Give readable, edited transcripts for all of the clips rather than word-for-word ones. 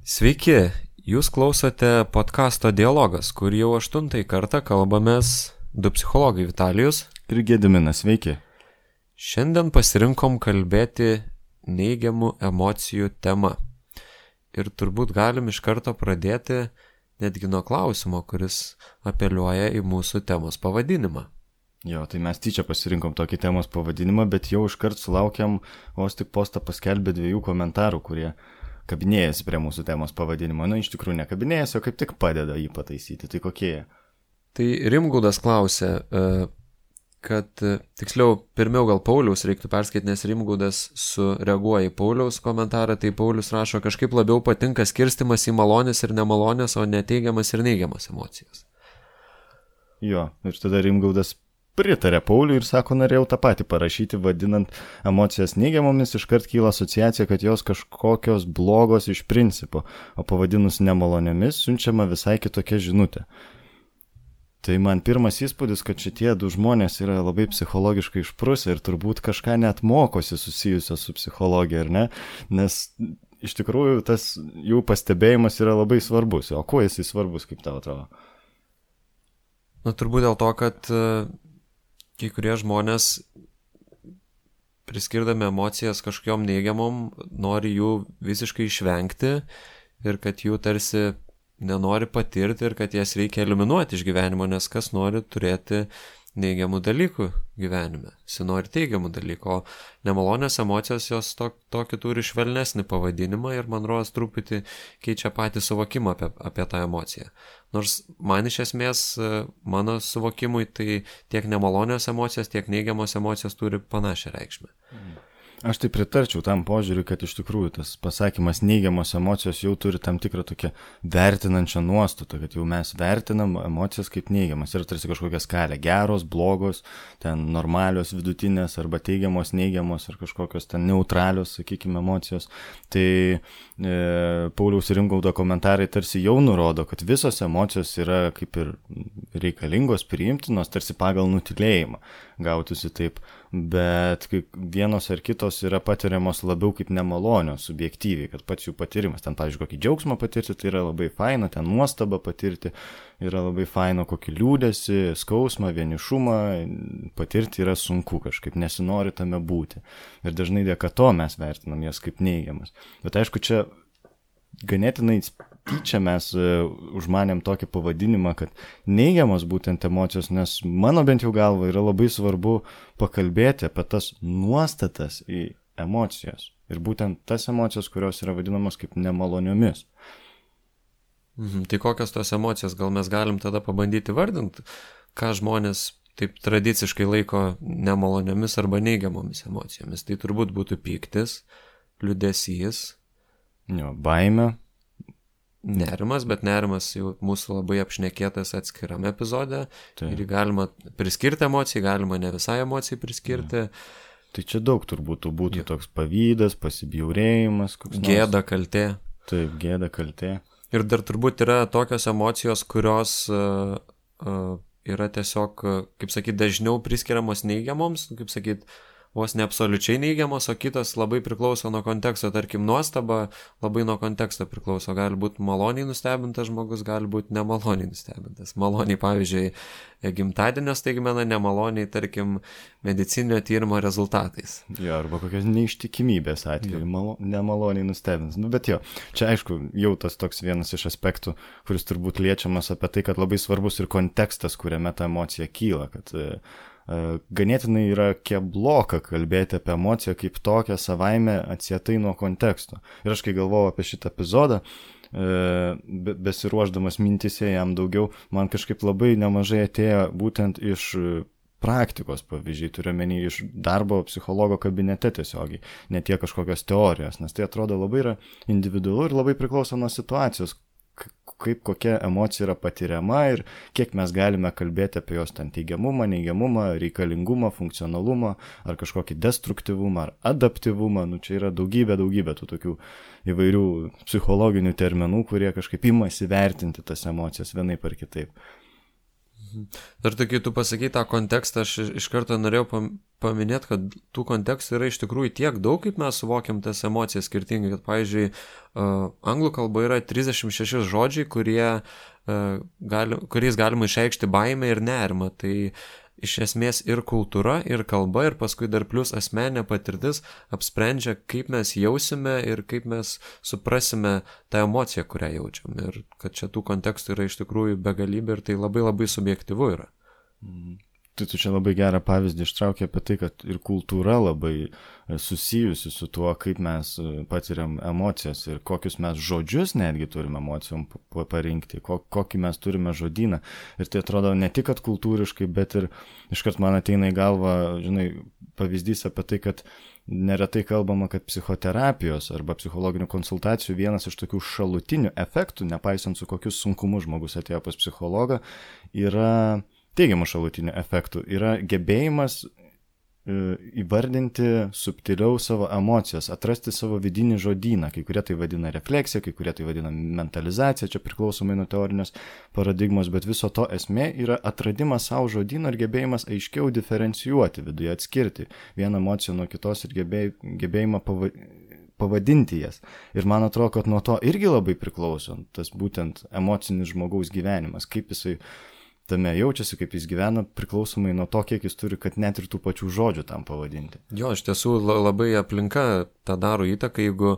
Sveiki, jūs klausote podcasto Dialogas, kur jau 8 kartą kalbamės du psichologai Vitalijus ir Gediminas. Sveiki. Šiandien pasirinkom kalbėti neigiamų emocijų tema. Ir turbūt galim iš karto pradėti netgi nuo klausimo, kuris apeliuoja į mūsų temos pavadinimą. Jo, tai mes tyčia pasirinkom tokį temos pavadinimą, bet jau iškart sulaukiam, vos tik postą paskelbė 2 komentarų, kurie kabinėjasi prie mūsų temos pavadinimo. Iš tikrųjų nekabinėjasi, o kaip tik padeda jį pataisyti. Tai kokie jie? Tai Rimgaudas klausė, kad, tiksliau, pirmiau gal Pauliaus reiktų perskaityti, nes Rimgaudas sureaguoja į Pauliaus komentarą, tai Paulius rašo, kažkaip labiau patinka skirstimas į malonės ir nemalonės, o ne teigiamas ir neigiamas emocijas. Jo, ir tada Rimgaudas pritarė Pauliui ir sako, norėjau tą patį parašyti, vadinant emocijas neigiamomis, iškart kyla asociacija, kad jos kažkokios blogos iš principo, o pavadinus nemalonėmis siunčiama visai kitokia žinutė. Tai man pirmas įspūdis, kad šitie 2 žmonės yra labai psichologiškai išprusę ir turbūt kažką net mokosi susijusio su psichologija, ar ne? Nes iš tikrųjų tas jų pastebėjimas yra labai svarbus. O kuo jisai svarbus, kaip tau atrodo? Turbūt dėl to, kad kai kurie žmonės, priskirdami emocijas kažkokiom neigiamom, nori jų visiškai išvengti ir kad jų tarsi nenori patirti ir kad jas reikia eliminuoti iš gyvenimo, nes kas nori turėti neigiamų dalykų gyvenime, jis nori teigiamų dalykų, o nemalonės emocijos jos tokį turi švelnesnį pavadinimą ir man rodos truputį keičia patį suvokimą apie tą emociją. Nors man iš esmės, mano suvokimui, tai tiek nemalonios emocijos, tiek neigiamos emocijos turi panašią reikšmę. Aš tai pritarčiau tam požiūriui, kad iš tikrųjų tas pasakymas neigiamos emocijos jau turi tam tikrą tokią vertinančią nuostatą, kad jau mes vertinam emocijas kaip neigiamas. Ir tarsi kažkokia skalė, geros, blogos, ten normalios, vidutinės arba teigiamos, neigiamos ar kažkokios ten neutralios, sakykime, emocijos. Tai Pauliaus ir Rimgaudo komentarai tarsi jau nurodo, kad visos emocijos yra kaip ir reikalingos, priimtinos, tarsi pagal nutylėjimą gautųsi taip, bet vienos ar kitos yra patiriamos labiau kaip nemalonios, subjektyviai, kad pats jų patyrimas, ten, pavyzdžiui, kokį džiaugsmą patirti, tai yra labai faina, ten nuostabą patirti, yra labai faina, kokį liūdesį, skausmą, vienišumą patirti yra sunku kažkaip, nesinori tame būti. Ir dažnai dėka to mes vertinam jas kaip neigiamas. Bet aišku, čia ganėtinai tyčia mes užmanėm tokį pavadinimą, kad neigiamos būtent emocijos, nes mano bent jau galva yra labai svarbu pakalbėti apie tas nuostatas į emocijos. Ir būtent tas emocijos, kurios yra vadinamos kaip nemaloniomis. Tai kokios tos emocijos? Gal mes galim tada pabandyti vardinti, ką žmonės taip tradiciškai laiko nemaloniomis arba neigiamomis emocijomis. Tai turbūt būtų pyktis, liūdesys, baimė. Nerimas, bet nerimas jau mūsų labai apšnekėtas atskirame epizode. Tai. Ir galima priskirti emocijai, galima ne visai emocijai priskirti. Tai čia daug turbūt būtų toks pavydas, pasibjaurėjimas. Gėda, kaltė. Taip, gėda, kaltė. Ir dar turbūt yra tokios emocijos, kurios yra tiesiog, kaip sakyt, dažniau priskiriamos neigiamoms, kaip sakyt, vos ne absoliučiai neigiamos, o kitas labai priklauso nuo konteksto, tarkim, nuostaba labai nuo konteksto priklauso, gali būti maloniai nustebintas žmogus, gali būti nemaloniai nustebintas. Maloniai, pavyzdžiui, gimtadienio staigmena, nemaloniai, tarkim, medicininio tyrimo rezultatais. Jo, arba kokios neištikimybės atveju, nemaloniai nustebins. Bet jo, čia aišku, jau tas toks vienas iš aspektų, kuris turbūt liečiamas apie tai, kad labai svarbus ir kontekstas, kuriame ta emocija kyla, kad ganėtinai yra kebloka kalbėti apie emociją kaip tokią savaime atsietai nuo konteksto. Ir aš kai galvojau apie šitą epizodą, besiruošdamas mintise jam daugiau, man kažkaip labai nemažai atėjo būtent iš praktikos pavyzdžiai, turiu menį iš darbo psichologo kabinete tiesiogiai, ne tiek kažkokios teorijos, nes tai atrodo labai yra individualu ir labai priklauso nuo situacijos, kaip kokia emocija yra patiriama ir kiek mes galime kalbėti apie jos ten teigiamumą, neigiamumą, reikalingumą, funkcionalumą ar kažkokį destruktyvumą ar adaptyvumą. Čia yra daugybė tų tokių įvairių psichologinių terminų, kurie kažkaip imasi vertinti tas emocijas vienaip ar kitaip. Dar tai, kai tu pasakai tą kontekstą, aš iš karto norėjau paminėti, kad tų kontekstų yra iš tikrųjų tiek daug, kaip mes suvokiam tas emocijas skirtingai, kad, pavyzdžiui, anglų kalba yra 36 žodžiai, kuriais galima išreikšti baimę ir nerimą. Tai iš esmės ir kultūra, ir kalba, ir paskui dar plus asmeninė patirtis apsprendžia, kaip mes jausime ir kaip mes suprasime tą emociją, kurią jaučiam. Ir kad čia tų kontekstų yra iš tikrųjų begalybė ir tai labai labai subjektyvu yra. Tai tu čia labai gerą pavyzdį ištraukė apie tai, kad ir kultūra labai susijusi su tuo, kaip mes patiriam emocijas ir kokius mes žodžius netgi turime emocijom parinkti, kokį mes turime žodyną. Ir tai atrodo ne tik, kad kultūriškai, bet ir iškart man ateina į galvą, žinai, pavyzdys apie tai, kad neretai kalbama, kad psichoterapijos arba psichologinių konsultacijų vienas iš tokių šalutinių efektų, nepaisant su kokius sunkumus žmogus atėjo pas psichologą, yra teigiamų šalutinių efektų, yra gebėjimas įvardinti subtiliau savo emocijas, atrasti savo vidinį žodyną, kai kurie tai vadina refleksija, kai kurie tai vadina mentalizacija, čia priklausomai nuo teorinės paradigmos, bet viso to esmė yra atradimas savo žodyno ir gebėjimas aiškiau diferencijuoti viduje, atskirti vieną emociją nuo kitos ir gebėjimą pavadinti jas. Ir man atrodo, kad nuo to irgi labai priklauso tas būtent emocinis žmogaus gyvenimas, kaip jisai tame jaučiasi, kaip jis gyvena, priklausomai nuo to, kiek jis turi, kad net ir tų pačių žodžių tam pavadinti. Jo, iš tiesų labai aplinka tą daro įtaką, jeigu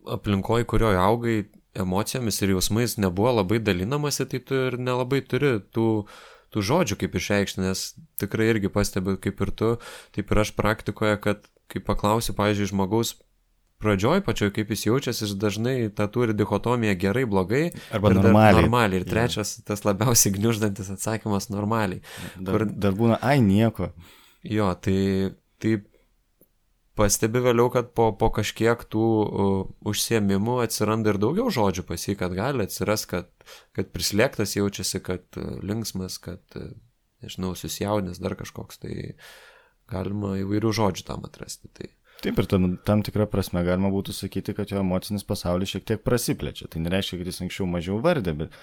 aplinkoje, kurioje augai emocijomis ir jausmais nebuvo labai dalinamasi, tai tu ir nelabai turi tų žodžių kaip išreikšti, nes tikrai irgi pastebiu kaip ir tu, taip ir aš praktikoje, kad kai paklausiu, pavyzdžiui, žmogaus pradžioj pačioj, kaip jis jaučiasi, jis dažnai tą turi dichotomiją gerai, blogai. Arba normaliai. Ir trečias, tas labiausiai gniuždantis atsakymas normaliai. Dar būna, nieko. Jo, tai pastebi vėliau, kad po kažkiek tų užsiėmimų atsiranda ir daugiau žodžių pas jį, kad gali atsiras, kad prislėgtas jaučiasi, kad linksmas, kad, nežinau, susijaudinęs dar kažkoks, tai galima įvairių žodžių tam atrasti. Taip, ir tam tikrą prasme galima būtų sakyti, kad jo emocinis pasaulis šiek tiek prasiplečia. Tai nereiškia, kad jis anksčiau mažiau vardė, bet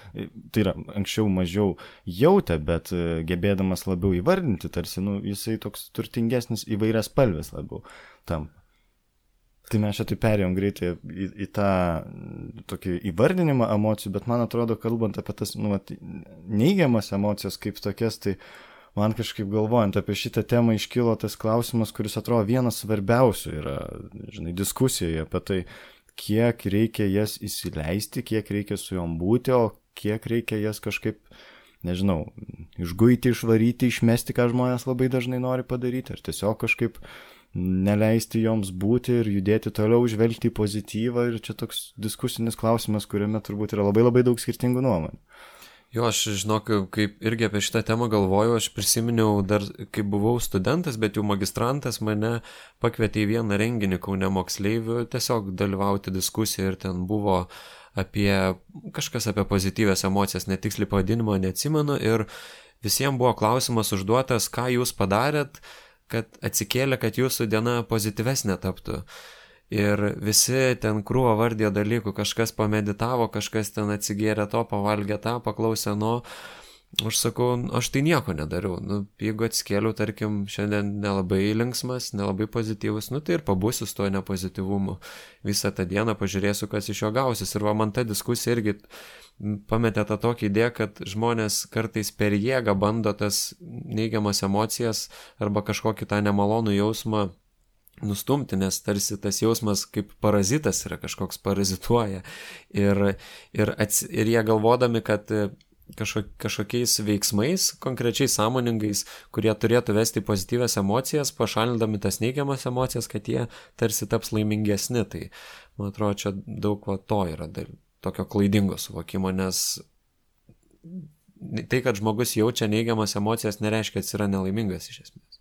tai yra anksčiau mažiau jautė, bet gebėdamas labiau įvardinti, tarsi jisai toks turtingesnis, įvairias spalves labiau tam. Tai mes čia tai perėjom greitai į tą tokį įvardinimą emocijų, bet man atrodo, kalbant apie tas neigiamas emocijas kaip tokias, tai man kažkaip galvojant apie šitą temą iškilo tas klausimas, kuris atrodo vienas svarbiausių yra, žinai, diskusijoje apie tai, kiek reikia jas įsileisti, kiek reikia su jom būti, o kiek reikia jas kažkaip, nežinau, išguiti, išvaryti, išmesti, ką žmonės labai dažnai nori padaryti, ar tiesiog kažkaip neleisti joms būti ir judėti toliau, žvelgti į pozityvą, ir čia toks diskusinis klausimas, kuriame turbūt yra labai labai daug skirtingų nuomonių. Jo, aš žinok, kaip irgi apie šitą temą galvoju, aš prisiminiau dar, kai buvau studentas, bet jau magistrantas mane pakvietė į vieną renginį Kaune moksleivių, tiesiog dalyvauti diskusiją ir ten buvo kažkas apie pozityvias emocijas, netiksliai pavadinimo neatsimenu, ir visiems buvo klausimas užduotas, ką jūs padarėt, kad atsikėlė, kad jūsų diena pozityvesnė taptų. Ir visi ten krūvą vardė dalykų, kažkas pameditavo, kažkas ten atsigėrė to, pavalgė tą, paklausė aš sakau, aš tai nieko nedariau. Jeigu atsikėliau, tarkim, šiandien nelabai linksmas, nelabai pozityvus, tai ir pabūsiu su to nepozityvumu. Visą tą dieną pažiūrėsiu, kas iš jo gausis. Ir man ta diskusija irgi pametė tą tokią idėją, kad žmonės kartais per jėgą bando tas neigiamas emocijas arba kažkokį tą nemalonų jausmą nustumti, nes tarsi tas jausmas kaip parazitas yra, kažkoks parazituoja. Ir jie galvodami, kad kažkokiais veiksmais, konkrečiai sąmoningais, kurie turėtų vesti pozityvias emocijas, pašalindami tas neigiamas emocijas, kad jie tarsi taps laimingesni. Tai, man atrodo, čia daug to yra tokio klaidingo suvokimo, nes tai, kad žmogus jaučia neigiamas emocijas, nereiškia, kad jis yra nelaimingas iš esmės.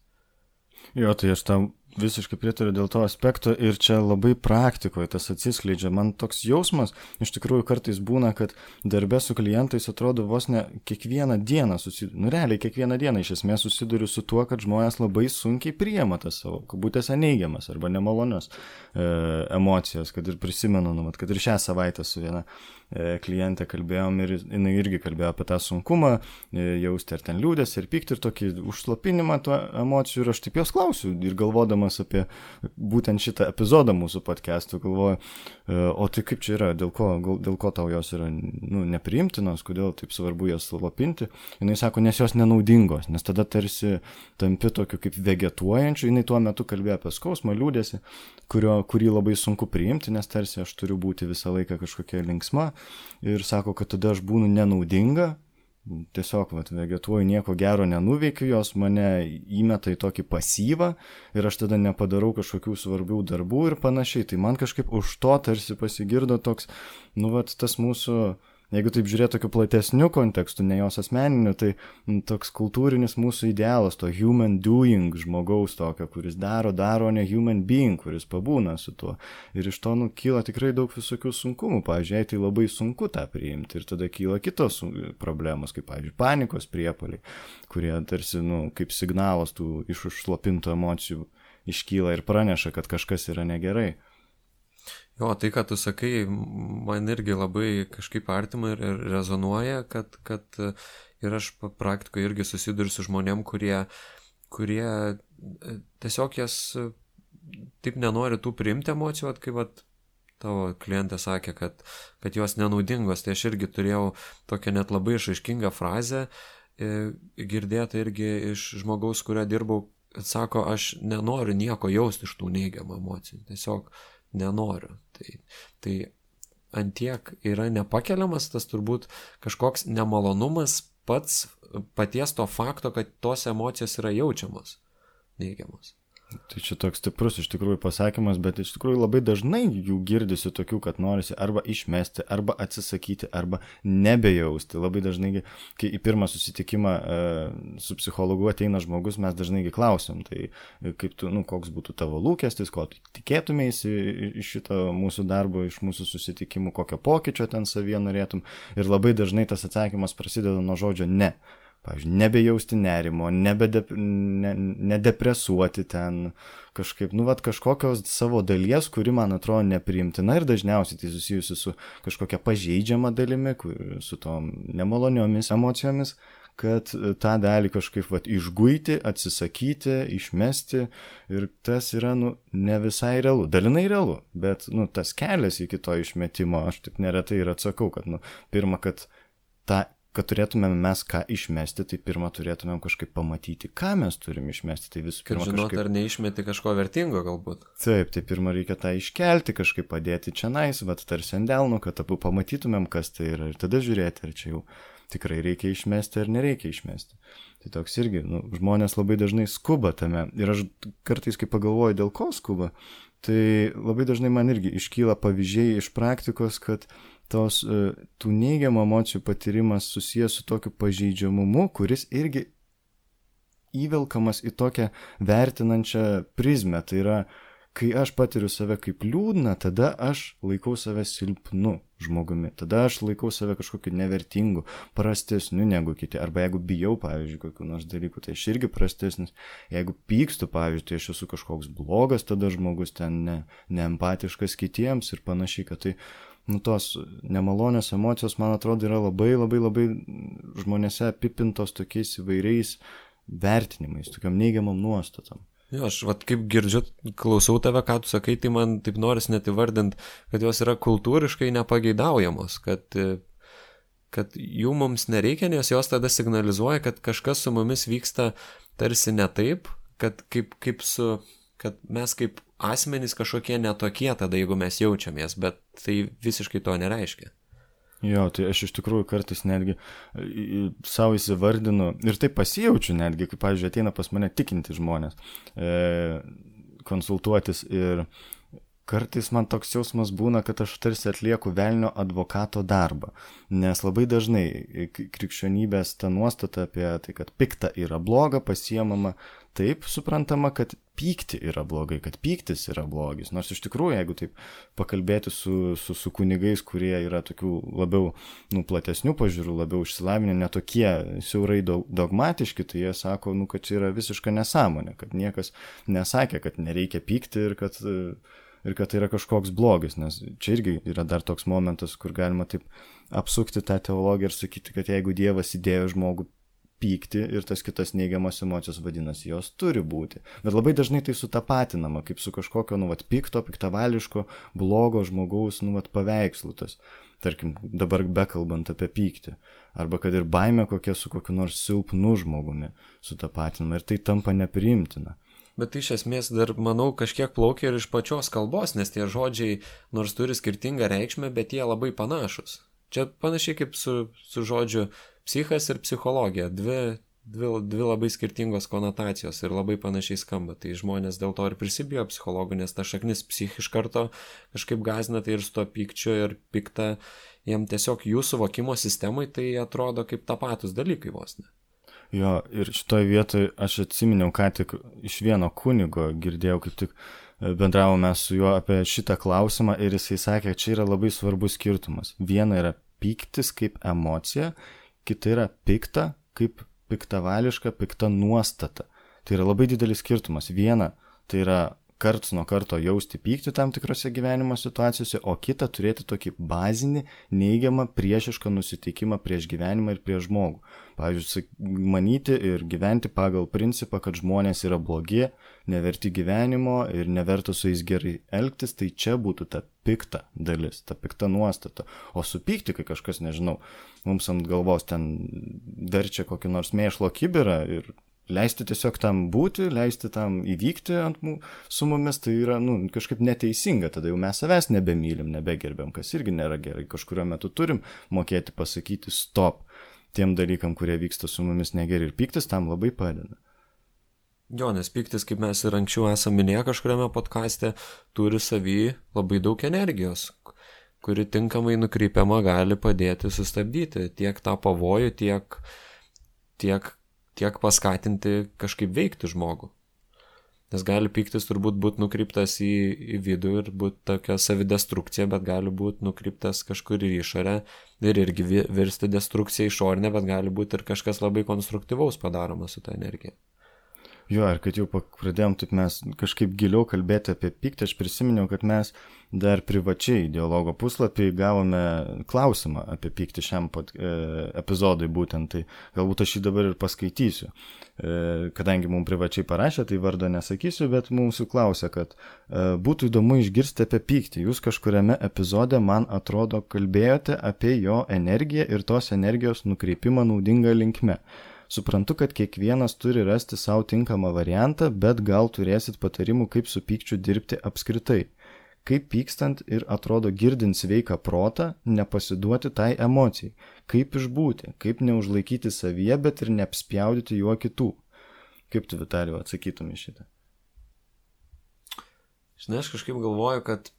Jo, tai aš tam Visiškai pritariu dėl to aspekto ir čia labai praktikoje tas atsiskleidžia. Man toks jausmas, iš tikrųjų kartais būna, kad darbe su klientais atrodo vos ne kiekvieną dieną, realiai kiekvieną dieną iš esmės susiduriu su tuo, kad žmonės labai sunkiai priima tas savo, kabutėse neigiamas arba nemalonios emocijos, kad ir prisimenu, kad ir šią savaitę su viena klientė kalbėjom ir jinai irgi kalbėjo apie tą sunkumą, jausti ar ten liūdės ir pykti ir tokį užslopinimą tų emocijų ir aš taip jos klausiu ir galvodamas apie būtent šitą epizodą mūsų podcastų galvoju, o tai kaip čia yra, dėl ko tau jos yra nepriimtinos, kodėl taip svarbu jas slopinti, jinai sako, nes jos nenaudingos, nes tada tarsi tampi tokiu kaip vegetuojančiu, jinai tuo metu kalbėjo apie skausmą, liūdėsi, kurį labai sunku priimti, nes tarsi aš turiu būti visą laiką kažkokia linksma ir sako, kad tada aš būnu nenaudinga, tiesiog vegetuoju, nieko gero nenuveikiu, jos mane įmeta į tokį pasyvą ir aš tada nepadarau kažkokių svarbių darbų ir panašiai. Tai man kažkaip už to tarsi pasigirdo toks, tas mūsų, jeigu taip žiūrėti tokiu platesniu kontekstu, ne jos asmeniniu, tai toks kultūrinis mūsų idealas, to human doing žmogaus tokio, kuris daro, ne human being, kuris pabūna su tuo. Ir iš to kyla tikrai daug visokių sunkumų. Pavyzdžiui, jai tai labai sunku tą priimti ir tada kyla kitos problemos, kaip, pavyzdžiui, panikos priepuoliai, kurie tarsi, kaip signalas tų iš užslopintų emocijų iškyla ir praneša, kad kažkas yra negerai. Jo, tai, ką tu sakai, man irgi labai kažkaip artima ir rezonuoja, kad ir aš praktikoje irgi susiduriu su žmonėm, kurie tiesiog jas taip nenori tų priimti emocijų, kaip tavo klientė sakė, kad jos nenaudingos, tai aš irgi turėjau tokią net labai išaiškingą frazę, girdėtą irgi iš žmogaus, kurio dirbau, sako, aš nenoriu nieko jausti iš tų neigiamų emocijų, tiesiog nenoriu. Tai antiek yra nepakeliamas tas turbūt kažkoks nemalonumas paties to fakto, kad tos emocijos yra jaučiamos neigiamos. Tai čia toks stiprus iš tikrųjų pasakymas, bet iš tikrųjų labai dažnai jų girdisi tokių, kad norisi arba išmesti, arba atsisakyti, arba nebejausti. Labai dažnai, kai į pirmą susitikimą su psichologu ateina žmogus, mes dažnai klausim, tai kaip tu, koks būtų tavo lūkestis, ko tu tikėtumėsi iš šito mūsų darbo, iš mūsų susitikimų, kokio pokyčio ten savyje norėtum. Ir labai dažnai tas atsakymas prasideda nuo žodžio ne. Pavyzdžiui, nebejausti nerimo, nedepresuoti ten kažkaip, kažkokios savo dalies, kuri man atrodo nepriimtina ir dažniausiai tai susijusi su kažkokia pažeidžiama dalimi, su tom nemaloniomis emocijomis, kad tą dalį kažkaip išguiti, atsisakyti, išmesti ir tas yra, ne visai realu, dalinai realu, bet, tas kelias iki to išmetimo, aš taip neretai ir atsakau, kad, pirma, kad turėtumėm mes ką išmesti, tai pirmą turėtumėm kažkaip pamatyti, ką mes turim išmesti. Tai visų pirma žinot, ar neišmeti kažko vertingo galbūt. Taip, tai pirmą reikia tą iškelti, kažkaip padėti čionais, tarsi ant delno, kad abu pamatytumėm, kas tai yra ir tada žiūrėti, ar čia jau tikrai reikia išmesti ar nereikia išmesti. Tai toks irgi, žmonės labai dažnai skuba tame ir aš kartais, kai pagalvoju, dėl ko skuba, tai labai dažnai man irgi iškyla pavyzdžiai iš praktikos, kad tų neigiamų emocijų patyrimas susijęs su tokiu pažeidžiamumu, kuris irgi įvelkamas į tokią vertinančią prizmę. Tai yra, kai aš patiriu save kaip liūdną, tada aš laikau save silpnu žmogumi. Tada aš laikau save kažkokiu nevertingu, prastesniu negu kiti. Arba jeigu bijau, pavyzdžiui, kokių nors dalykų, tai aš irgi prastesnis. Jeigu pykstu, pavyzdžiui, tai aš esu kažkoks blogas, tada žmogus ten neempatiškas kitiems ir panašiai, kad tai tos nemalonios emocijos, man atrodo, yra labai žmonėse apipintos tokiais įvairiais vertinimais, tokiam neigiamam nuostatam. Jo, aš kaip girdžiu, klausau tave, ką tu sakai, tai man taip noris net įvardint, kad jos yra kultūriškai nepageidaujamos, kad jų mums nereikia, nes jos tada signalizuoja, kad kažkas su mumis vyksta tarsi ne taip, kad kad mes kaip asmenys kažkokie netokie tada, jeigu mes jaučiamės, bet tai visiškai to nereiškia. Jo, tai aš iš tikrųjų kartais netgi savo įsivardinu ir taip pasijaučiu netgi, kaip, pavyzdžiui, ateina pas mane tikinti žmonės konsultuotis ir kartais man toks jausmas būna, kad aš tarsi atlieku velnio advokato darbą, nes labai dažnai krikščionybės ta nuostata apie tai, kad pikta yra bloga, pasiemama taip suprantama, kad pykti yra blogai, kad pyktis yra blogis. Nors iš tikrųjų, jeigu taip pakalbėti su kunigais, kurie yra tokių labiau platesnių pažiūrų, labiau išsilavinę, netokie siaurai dogmatiški, tai jie sako, kad čia yra visiška nesąmonė, kad niekas nesakė, kad nereikia pykti ir kad tai yra kažkoks blogis, nes čia irgi yra dar toks momentas, kur galima taip apsukti tą teologiją ir sakyti, kad jeigu Dievas įdėjo žmogų pykti ir tas kitas neigiamas emocijos, vadinasi, jos turi būti. Bet labai dažnai tai sutapatinama, kaip su kažkokio, pikto, piktavališko, blogo žmogaus, paveikslu tas. Tarkim, dabar bekalbant apie pyktį. Arba kad ir baimė kokia su kokiu nors silpnu žmogumi sutapatinama ir tai tampa nepriimtina. Bet iš esmės dar, manau, kažkiek plaukia ir iš pačios kalbos, nes tie žodžiai nors turi skirtingą reikšmę, bet jie labai panašus. Čia panašiai kaip su žodžiu psichas ir psichologija. Dvi labai skirtingos konotacijos ir labai panašiai skamba. Tai žmonės dėl to ir prisibijo psichologų, nes ta šaknis psich iš karto kažkaip gąsdina, tai ir su to pykčiu ir pikta, jiem tiesiog jų suvokimo sistemai tai atrodo kaip tapatus dalykai vos ne. Jo, ir šitoj vietoj aš atsiminiau, ką tik iš vieno kunigo girdėjau, kaip tik bendravome su juo apie šitą klausimą ir jisai sakė, čia yra labai svarbus skirtumas. Viena yra pyktis kaip emocija, kita yra pikta kaip piktavališka, pikta nuostata. Tai yra labai didelis skirtumas. Viena tai yra karts nuo karto jausti pyktį tam tikrose gyvenimo situacijose, o kita turėti tokį bazinį, neigiamą, priešišką nusiteikimą prieš gyvenimą ir prieš žmogų. Pavyzdžiui, manyti ir gyventi pagal principą, kad žmonės yra blogi, neverti gyvenimo ir neverta su jais gerai elgtis, tai čia būtų ta pikta dalis, ta pikta nuostata. O supykti, kai kažkas, nežinau, mums ant galvos ten verčia kokį nors mėšlo kibirą ir leisti tiesiog tam būti, leisti tam įvykti su mumis, tai yra kažkaip neteisinga, tada jau mes savęs nebemylim, nebegerbiam, kas irgi nėra gerai. Kažkurio metu turim mokėti pasakyti stop tiem dalykam, kurie vyksta su mumis negeri ir pyktis tam labai padeda. Jo, nes pyktis, kaip mes ir anksčiau esame minėję kažkuriame podcaste, turi savy labai daug energijos, kuri tinkamai nukreipiama gali padėti sustabdyti tiek tą pavojų, tiek paskatinti kažkaip veikti žmogų. Nes gali pyktis turbūt būti nukreiptas į vidų ir būti tokia savidestrukcija, bet gali būti nukreiptas kažkur į išorę ir irgi virsti destrukciją išorinę, bet gali būti ir kažkas labai konstruktyvaus padaroma su ta energija. Jo, ir kad jau pradėjom taip mes kažkaip giliau kalbėti apie pyktį, aš prisiminiau, kad mes dar privačiai Dialogo puslapį gavome klausimą apie pyktį šiam epizodui būtent, tai galbūt aš jį dabar ir paskaitysiu. Kadangi mums privačiai parašė, tai vardo nesakysiu, bet mūsų klausė, kad būtų įdomu išgirsti apie pyktį. Jūs kažkuriame epizode, man atrodo, kalbėjote apie jo energiją ir tos energijos nukreipimą naudingą linkme. Suprantu, kad kiekvienas turi rasti savo tinkamą variantą, bet gal turėsit patarimų, kaip su pykčiu dirbti apskritai. Kaip pykstant ir atrodo girdint sveiką protą, nepasiduoti tai emocijai. Kaip išbūti, kaip neužlaikyti savyje, bet ir neapspjaudyti juo kitų. Kaip tu, Vitalijau, atsakytum į šitą? Žinai, aš kažkaip galvoju, kad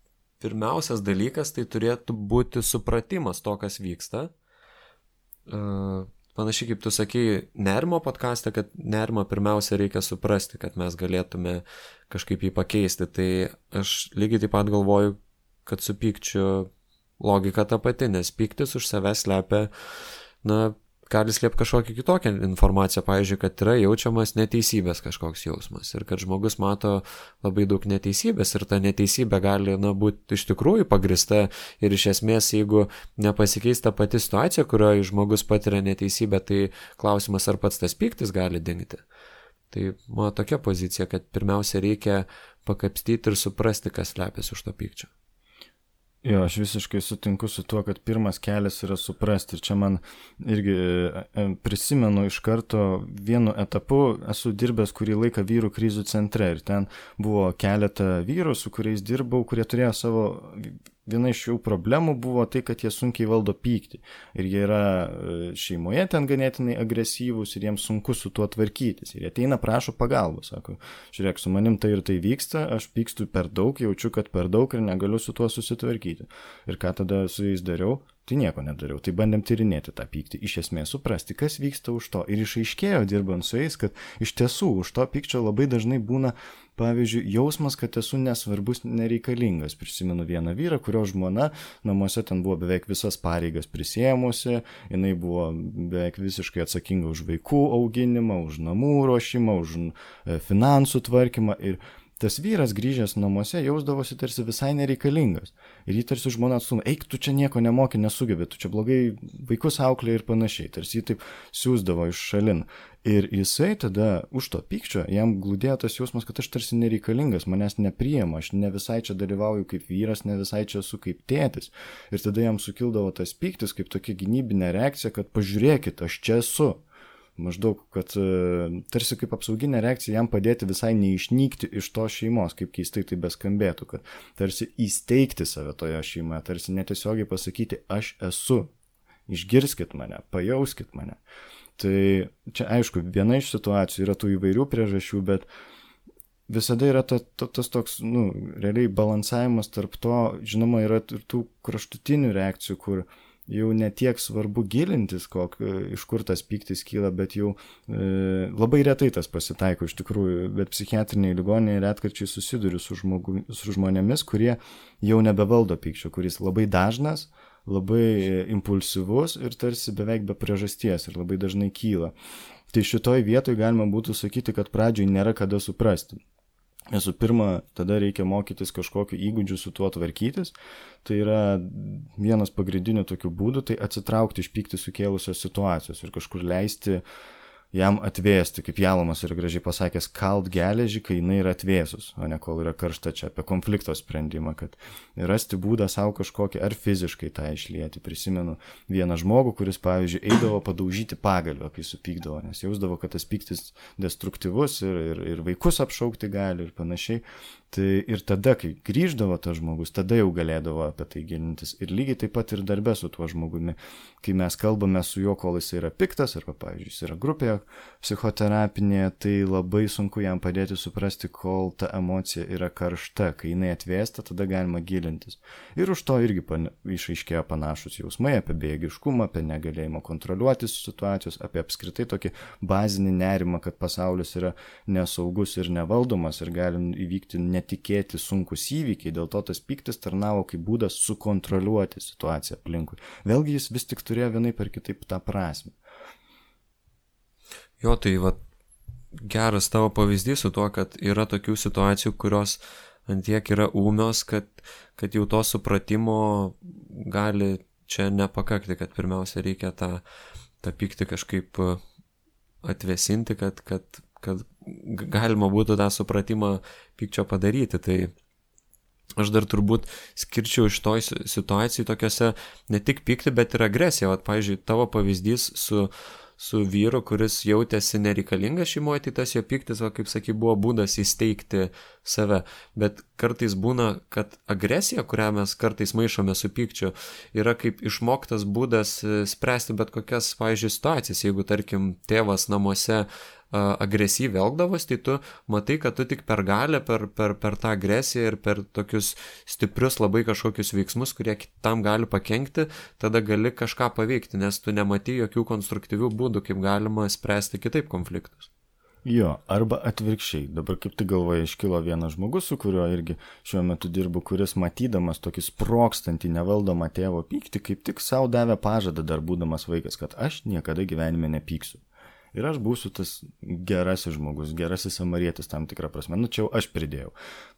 pirmiausias dalykas tai turėtų būti supratimas to, kas vyksta. Panašiai kaip tu sakei nerimo podcaste, kad nerimą pirmiausia reikia suprasti, kad mes galėtume kažkaip jį pakeisti. Tai aš lygiai taip pat galvoju, kad su pykčiu logika ta pati, nes pyktis už savęs slepia, gali slėpti kažkokią kitokią informaciją, pavyzdžiui, kad yra jaučiamas neteisybės kažkoks jausmas ir kad žmogus mato labai daug neteisybės ir ta neteisybė gali būti iš tikrųjų pagrįsta ir iš esmės, jeigu nepasikeis ta pati situacija, kurioje žmogus patiria neteisybę, tai klausimas, ar pats tas pyktis gali dingti. Tai mano tokia pozicija, kad pirmiausia reikia pakapstyti ir suprasti, kas slepiasi už to pykčio. Jo, aš visiškai sutinku su tuo, kad pirmas kelias yra suprasti. Ir čia man irgi prisimenu iš karto vienu etapu, esu dirbęs kurį laiką vyrų krizių centre ir ten buvo keletą vyrų, su kuriais dirbau, kurie turėjo savo, viena iš jų problemų buvo tai, kad jie sunkiai valdo pyktį. Ir jie yra šeimoje ten ganėtinai agresyvūs ir jiems sunku su tuo tvarkytis. Ir jie ateina, prašo pagalbos, sako, žiūrėk, su manim tai ir tai vyksta, aš pykstu per daug, jaučiu, kad per daug ir negaliu su tuo susitvarkyti. Ir ką tada su jais dariau? Tai nieko nedariau. Tai bandėm tyrinėti tą pyktį, iš esmės suprasti, kas vyksta už to. Ir išaiškėjo, dirbant su jais, kad iš tiesų už to pykčio labai dažnai būna, pavyzdžiui, jausmas, kad esu nesvarbus, nereikalingas. Prisimenu vieną vyrą, kurio žmona namuose ten buvo beveik visas pareigas prisėmusi, jinai buvo beveik visiškai atsakinga už vaikų auginimą, už namų ruošimą, už finansų tvarkymą ir tas vyras grįžęs namuose jausdavosi tarsi visai nereikalingas. Ir jį tarsi žmona atstumė, eik, tu čia nieko nemoki, nesugebi, tu čia blogai vaikus auklė ir panašiai. Tarsi jį taip siūsdavo iš šalin. Ir jisai tada už to pykčio, jam glūdėjo tas jausmas, kad aš tarsi nereikalingas, manęs nepriima, aš ne visai čia dalyvauju kaip vyras, ne visai čia esu kaip tėtis. Ir tada jam sukildavo tas pyktis kaip tokia gynybinė reakcija, kad pažiūrėkit, aš čia esu. Maždaug, kad tarsi kaip apsauginė reakcija jam padėti visai neišnykti iš tos šeimos, kaip keistai tai beskambėtų, kad tarsi įsteigti save toje šeimoje, tarsi netiesiogiai pasakyti, aš esu, išgirskit mane, pajauskit mane. Tai čia aišku, viena iš situacijų yra tų įvairių priežasčių, bet visada yra tas toks, realiai balansavimas tarp to, žinoma, yra ir tų kraštutinių reakcijų, kur jau netiek svarbu gilintis, iš kur tas pyktis kyla, bet jau labai retai tas pasitaiko iš tikrųjų, bet psichiatriniai ligoninėje retkarčiai susiduriu su žmonėmis, kurie jau nebevaldo pykčio, kuris labai dažnas, labai impulsyvus ir tarsi beveik be priežasties ir labai dažnai kyla. Tai šitoj vietoj galima būtų sakyti, kad pradžioj nėra kada suprasti. Visų pirma, tada reikia mokytis kažkokiu įgūdžiu su tuo tvarkytis. Tai yra vienas pagrindinių tokių būdų, tai atsitraukti iš pyktį sukėlusios situacijos ir kažkur leisti jam atvėsti, kaip Jalomas yra gražiai pasakęs, kalt geležį, kai jinai yra atvėsus, o ne kol yra karšta, čia apie konflikto sprendimą, kad rasti būdą savo kažkokį ar fiziškai tą išlieti. Prisimenu vieną žmogų, kuris, pavyzdžiui, eidavo padaužyti pagalvę, kai supykdavo, nes jausdavo, kad tas pyktis destruktyvus ir vaikus apšaukti gali ir panašiai. Tai ir tada, kai grįždavo tas žmogus, tada jau galėdavo apie tai gilintis. Ir lygiai taip pat ir darbe su tuo žmogumi. Kai mes kalbame su juo, kol jis yra piktas, arba, pavyzdžiui, jis yra grupėje psichoterapinėje, tai labai sunku jam padėti suprasti, kol ta emocija yra karšta. Kai jinai atvėsta, tada galima gilintis. Ir už to irgi išaiškėjo panašus jausmai apie bejėgiškumą, apie negalėjimą kontroliuoti situacijos, apie apskritai tokį bazinį nerimą, kad pasaulis yra nesaugus ir nevaldomas ir gali įvykti netikėti sunkus įvykiai, dėl to tas pyktis tarnavo kaip būdas sukontroliuoti situaciją aplinkui. Vėlgi jis vis tik turėjo vienaip ar kitaip tą prasme. Jo, tai geras tavo pavyzdys su tuo, kad yra tokių situacijų, kurios antiek yra ūmios, kad jau to supratimo gali čia nepakakti, kad pirmiausia reikia tą pyktį kažkaip atvėsinti, kad galima būtų tą supratimą pykčio padaryti. Tai aš dar turbūt skirčiau iš toj situacijai tokiose ne tik pyktį, bet ir agresiją. Pavyzdžiui, tavo pavyzdys su vyru, kuris jautėsi nereikalingas šeimoje, tai tas jo pyktis, kaip sakai, buvo būdas įsteigti save. Bet kartais būna, kad agresija, kurią mes kartais maišome su pykčiu, yra kaip išmoktas būdas spręsti bet kokias, pavyzdžiui, situacijas. Jeigu, tarkim, tėvas namuose agresyviai elgdavos, tai tu matai, kad tu tik per galią, per tą agresiją ir per tokius stiprius labai kažkokius veiksmus, kurie tam gali pakenkti, tada gali kažką paveikti, nes tu nematai jokių konstruktyvių būdų, kaip galima spręsti kitaip konfliktus. Jo, arba atvirkščiai. Dabar kaip tik galvoje iškilo vienas žmogus, su kuriuo irgi šiuo metu dirbu, kuris matydamas tokį sprogstantį nevaldomą tėvo pyktį, kaip tik savo davė pažadą dar būdamas vaikas, kad aš niekada gyvenime nepyksiu. Ir aš būsiu tas gerasis žmogus, gerasis samarietis tam tikrą prasme. Čia jau aš pridėjau.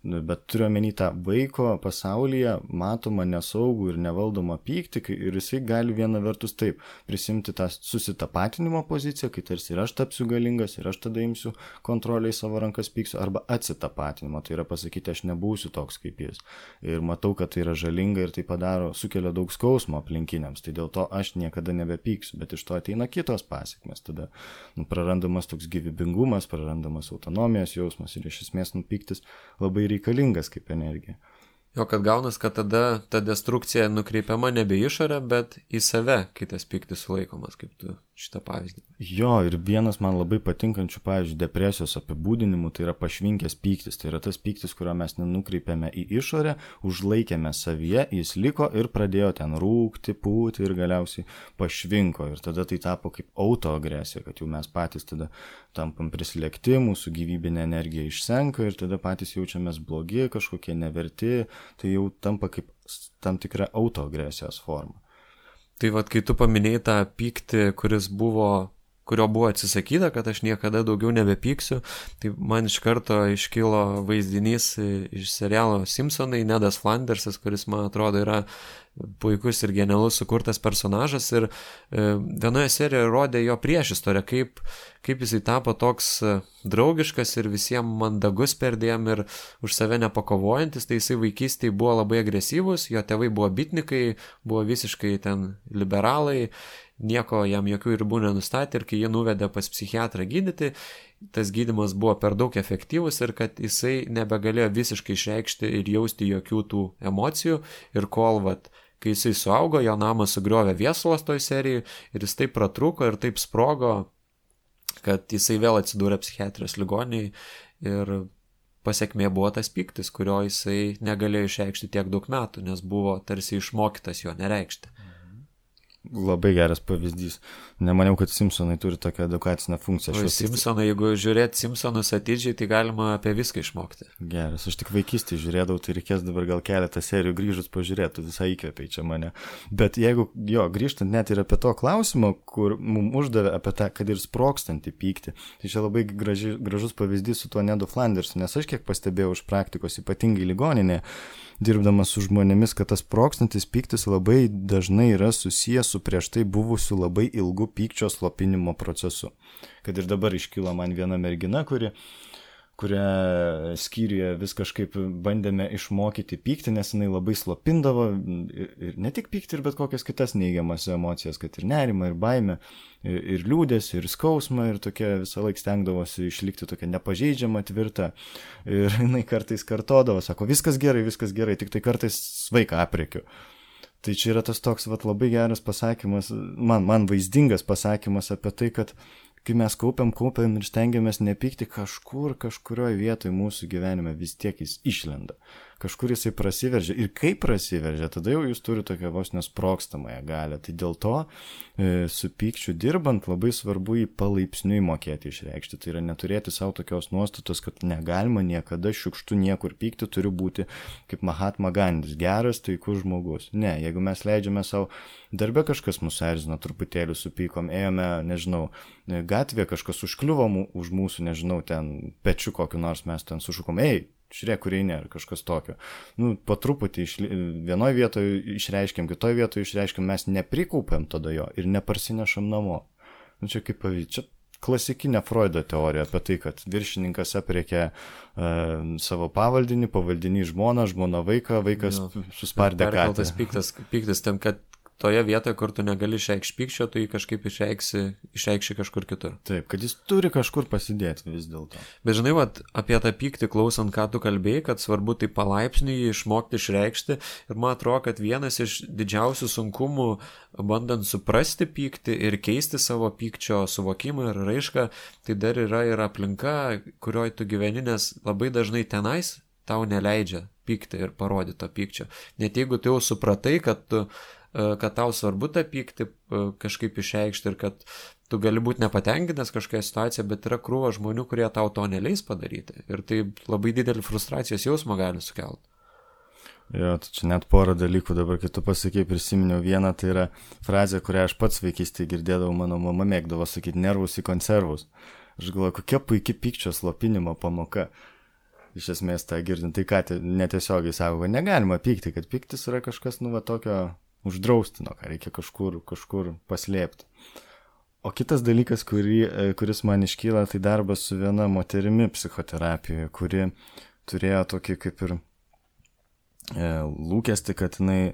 Bet turiu omeny tą vaiko pasaulyje matomą nesaugų ir nevaldomą pyktį ir jisai gali viena vertus taip prisimti tą susitapatinimo poziciją, kai tarsi ir aš tapsiu galingas ir aš tada imsiu kontrolę į savo rankas pyksiu, arba atsitapatinimo. Tai yra pasakyti, aš nebūsiu toks kaip jis. Ir matau, kad tai yra žalinga ir tai sukelia daug skausmo aplinkiniams. Tai dėl to aš niekada nebepyksiu, bet iš to ateina kitos pasekmės. Tada prarandamas toks gyvybingumas, prarandamas autonomijos jausmas ir iš esmės pyktis labai reikalingas kaip energija. Jo, kad gaunas, kad tada ta destrukcija nukreipiama nebe į išorę, bet į save, kai tas pyktis sulaikomas, kaip tu šitą pavyzdį. Jo, ir vienas man labai patinkančių, pavyzdžiui, depresijos apibūdinimų, tai yra pašvinkęs pyktis. Tai yra tas pyktis, kurio mes nenukreipiame į išorę, užlaikėme savyje, jis liko ir pradėjo ten rūkti, pūti ir galiausiai pašvinko. Ir tada tai tapo kaip autoagresija, kad jau mes patys tada tampam prislėgti, mūsų gyvybinė energija išsenka ir tada patys jaučiamės blogi, kažkokie neverti, tai jau tampa kaip tam tikra autoagresijos forma. Tai vat, kai tu paminėjai tą pyktį, kurio buvo atsisakyta, kad aš niekada daugiau nebepyksiu, tai man iš karto iškilo vaizdinys iš serialo Simpsonai, Nedas Flandersas, kuris, man atrodo, yra puikus ir genialus sukurtas personažas ir vienoje serijoje rodė jo priešistorę, kaip jisai tapo toks draugiškas ir visiems mandagus perdėm ir už save nepakovojantis, tai jisai vaikystėje buvo labai agresyvus, jo tėvai buvo bitnikai, buvo visiškai ten liberalai, nieko jam jokių ribų nenustatė ir kai jie nuvedė pas psichiatrą gydyti, tas gydymas buvo per daug efektyvus ir kad jisai nebegalėjo visiškai išreikšti ir jausti jokių tų emocijų ir kol kai jisai suaugo, jo namą sugriovė viesulas toj serijai ir jis taip pratrūko ir taip sprogo, kad jisai vėl atsidūrė psichiatrijos ligoninėje ir pasekmė buvo tas pyktis, kurio jisai negalėjo išreikšti tiek daug metų, nes buvo tarsi išmokytas jo nereikšti. Labai geras pavyzdys. Nemaniau, kad Simpsonai turi tokią edukacinę funkciją. Simpsonai, jeigu žiūrėt Simpsonus atidžiai, tai galima apie viską išmokti. Geras, aš tik vaikystėje žiūrėdavau, tai reikės dabar gal keletą serijų grįžus pažiūrėti, visai įkvėpiai čia mane. Bet jeigu, grįžtant net ir apie to klausimą, kur mums uždavė apie tą, kad ir sprogstantį pyktį, tai čia labai gražus pavyzdys su tuo Nedu Flandersu, nes aš kiek pastebėjau iš praktikos, ypatingai ligoninėje, dirbdamas su žmonėmis, kad tas sprogstantis pyktis labai dažnai yra susijęs su prieš tai buvusiu labai ilgu pykčio slopinimo procesu. Kad ir dabar iškilo man viena mergina, kurią skyriuje vis kažkaip bandėme išmokyti pykti, nes jinai labai slopindavo ir ne tik pykti, ir bet kokias kitas neigiamas emocijas, kad ir nerimą, ir baimę, ir liūdesį, ir skausmą, ir tokia visą laiką stengdavosi išlikti tokia nepažeidžiama, tvirta. Ir jinai kartais kartodavo, sako, viskas gerai, tik tai kartais svaiką aprėkiu. Tai čia yra tas toks labai geras pasakymas, man vaizdingas pasakymas apie tai, kad kai mes kaupiam ir stengiamės nepykti, kažkurioje vietoje mūsų gyvenime vis tiek jis išlenda. Kažkur jisai prasiveržia. Ir kai prasiveržia, tada jau jūs turite tokią vos nesprogstamąją galią. Tai dėl to su pykčiu dirbant labai svarbu jį palaipsniui mokėti išreikšti. Tai yra neturėti savo tokios nuostatos, kad negalima niekada šiukštu niekur pykti, turi būti kaip Mahatma Gandis, geras, taikus žmogus. Ne, jeigu mes leidžiame savo darbe kažkas mūsų erzino, truputėlį supykom, ėjome, nežinau, gatvėje kažkas užkliuvo už mūsų, nežinau, ten pečiu kokiu nors mes ten sušukom, žiūrėk, kur eini, ar kažkas tokio. Po truputį vienoje vietoje išreiškiam, kitoje vietoje išreiškiam, mes neprikaupiam tada jo ir neparsinešam namo. Čia kaip pavyzdys, čia klasikinė Freudo teorija apie tai, kad viršininkas aprėkė savo pavaldinį, pavaldinį žmoną, žmona vaiką, vaikas suspardė katę. Perkeltas pyktis tam, kad toje vietoje, kur tu negali išreikšti pykčio, tu jį kažkaip išreikši kažkur kitur. Taip, kad jis turi kažkur pasidėti vis dėlto. Bet žinai, apie tą pyktį klausant, ką tu kalbėjai, kad svarbu tai palaipsniui jį išmokti išreikšti. Ir man atrodo, kad vienas iš didžiausių sunkumų, bandant suprasti pyktį ir keisti savo pykčio suvokimą ir raišką, tai dar yra ir aplinka, kurioje tu gyveni, nes labai dažnai tenais tau neleidžia pykti ir parodyti to pykčio. Net jeigu tu jau supratai, kad tau svarbu tą pyktį kažkaip išreikšti ir kad tu gali būti nepatenkinęs kažkokia situacija, bet yra krūva žmonių, kurie tau to neleis padaryti. Ir tai labai didelį frustracijos jausmą gali sukelti. Jo, tai čia net porą dalykų dabar, kai tu pasakei, prisiminiau vieną, tai yra frazė, kurią aš pats vaikystėje girdėdavau, mano mama mėgdavo sakyti, nervus į konservus. Aš galvoju, kokia puikia pykčio slopinimo pamoka. Iš esmės tą girdint, tai ką netiesiogiai sako, kad negalima pykti, kad pyktis yra kažkas, tokio uždraustino, ką reikia kažkur paslėpti. O kitas dalykas, kuris man iškyla, tai darbas su viena moterimi psichoterapijoje, kuri turėjo tokį kaip ir lūkesti, kad jinai,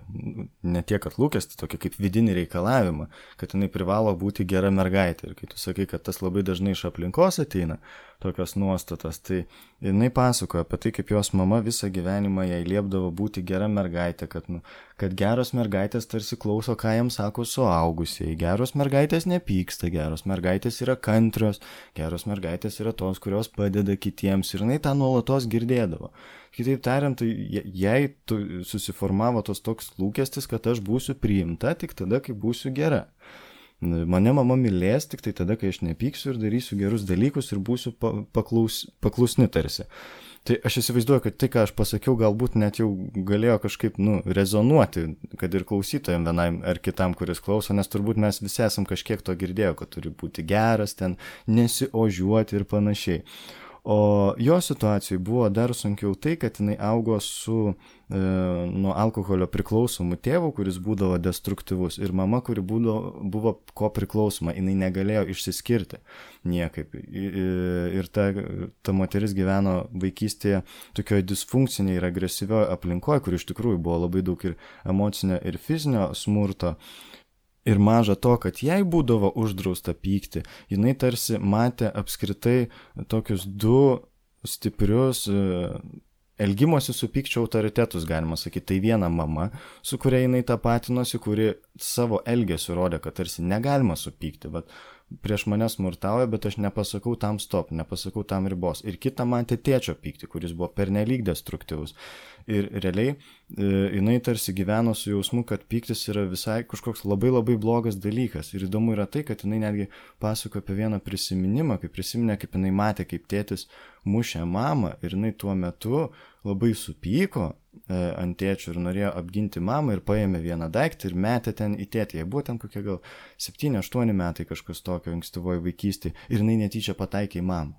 ne tiek, kad lūkesti, tokį kaip vidinį reikalavimą, kad jinai privalo būti gera mergaitė. Ir kai tu sakai, kad tas labai dažnai iš aplinkos ateina, tokios nuostatos, tai jinai pasakoja apie tai, kaip jos mama visą gyvenimą jai liepdavo būti gera mergaitė, kad geros mergaitės tarsi klauso, ką jiems sako suaugusieji, geros mergaitės nepyksta, geros mergaitės yra kantrios, geros mergaitės yra tos, kurios padeda kitiems, ir jinai tą nuolatos girdėdavo. Kitaip tariant, tai jai susiformavo tos toks lūkestis, kad aš būsiu priimta tik tada, kai būsiu gera. Mane mama mylės tik tai tada, kai aš nepyksiu ir darysiu gerus dalykus ir būsiu paklusni tarsi. Tai aš įsivaizduoju, kad tai, ką aš pasakiau, galbūt net jau galėjo kažkaip rezonuoti, kad ir klausytojam vienam ar kitam, kuris klauso, nes turbūt mes visi esam kažkiek to girdėję, kad turi būti geras, ten nesiožiuoti ir panašiai. O jo situacijai buvo dar sunkiau tai, kad jinai augo su nuo alkoholio priklausomu tėvu, kuris būdavo destruktyvus, ir mama, kuri buvo ko priklausoma, jinai negalėjo išsiskirti niekaip. Ir ta moteris gyveno vaikystėje tokioje disfunkcinėje ir agresyvioje aplinkoje, kur iš tikrųjų buvo labai daug ir emocinio ir fizinio smurto. Ir maža to, kad jai būdavo uždrausta pykti, jinai tarsi matė apskritai tokius du stiprius elgimosi su pykčio autoritetus, galima sakyti. Tai viena mama, su kuria jinai tapatinosi, kuri savo elgesiu rodė, kad tarsi negalima supykti, bet prieš mane smurtauja, bet aš nepasakau tam stop, nepasakau tam ribos. Ir kita matė tėčio pyktį, kuris buvo pernelyg destruktyvus. Ir realiai jinai tarsi gyveno su jausmu, kad pyktis yra visai kažkoks labai labai blogas dalykas. Ir įdomu yra tai, kad jinai netgi pasako apie vieną prisiminimą, kaip prisiminė, kaip jinai matė, kaip tėtis mušė mamą, ir jinai tuo metu labai supyko ant tėčio ir norėjo apginti mamą ir paėmė vieną daiktą ir metė ten į tėtį. Jai buvo ten kokie gal 7-8 metai kažkas tokio ankstyvoje vaikystėje ir jinai netyčia pataikė į mamą.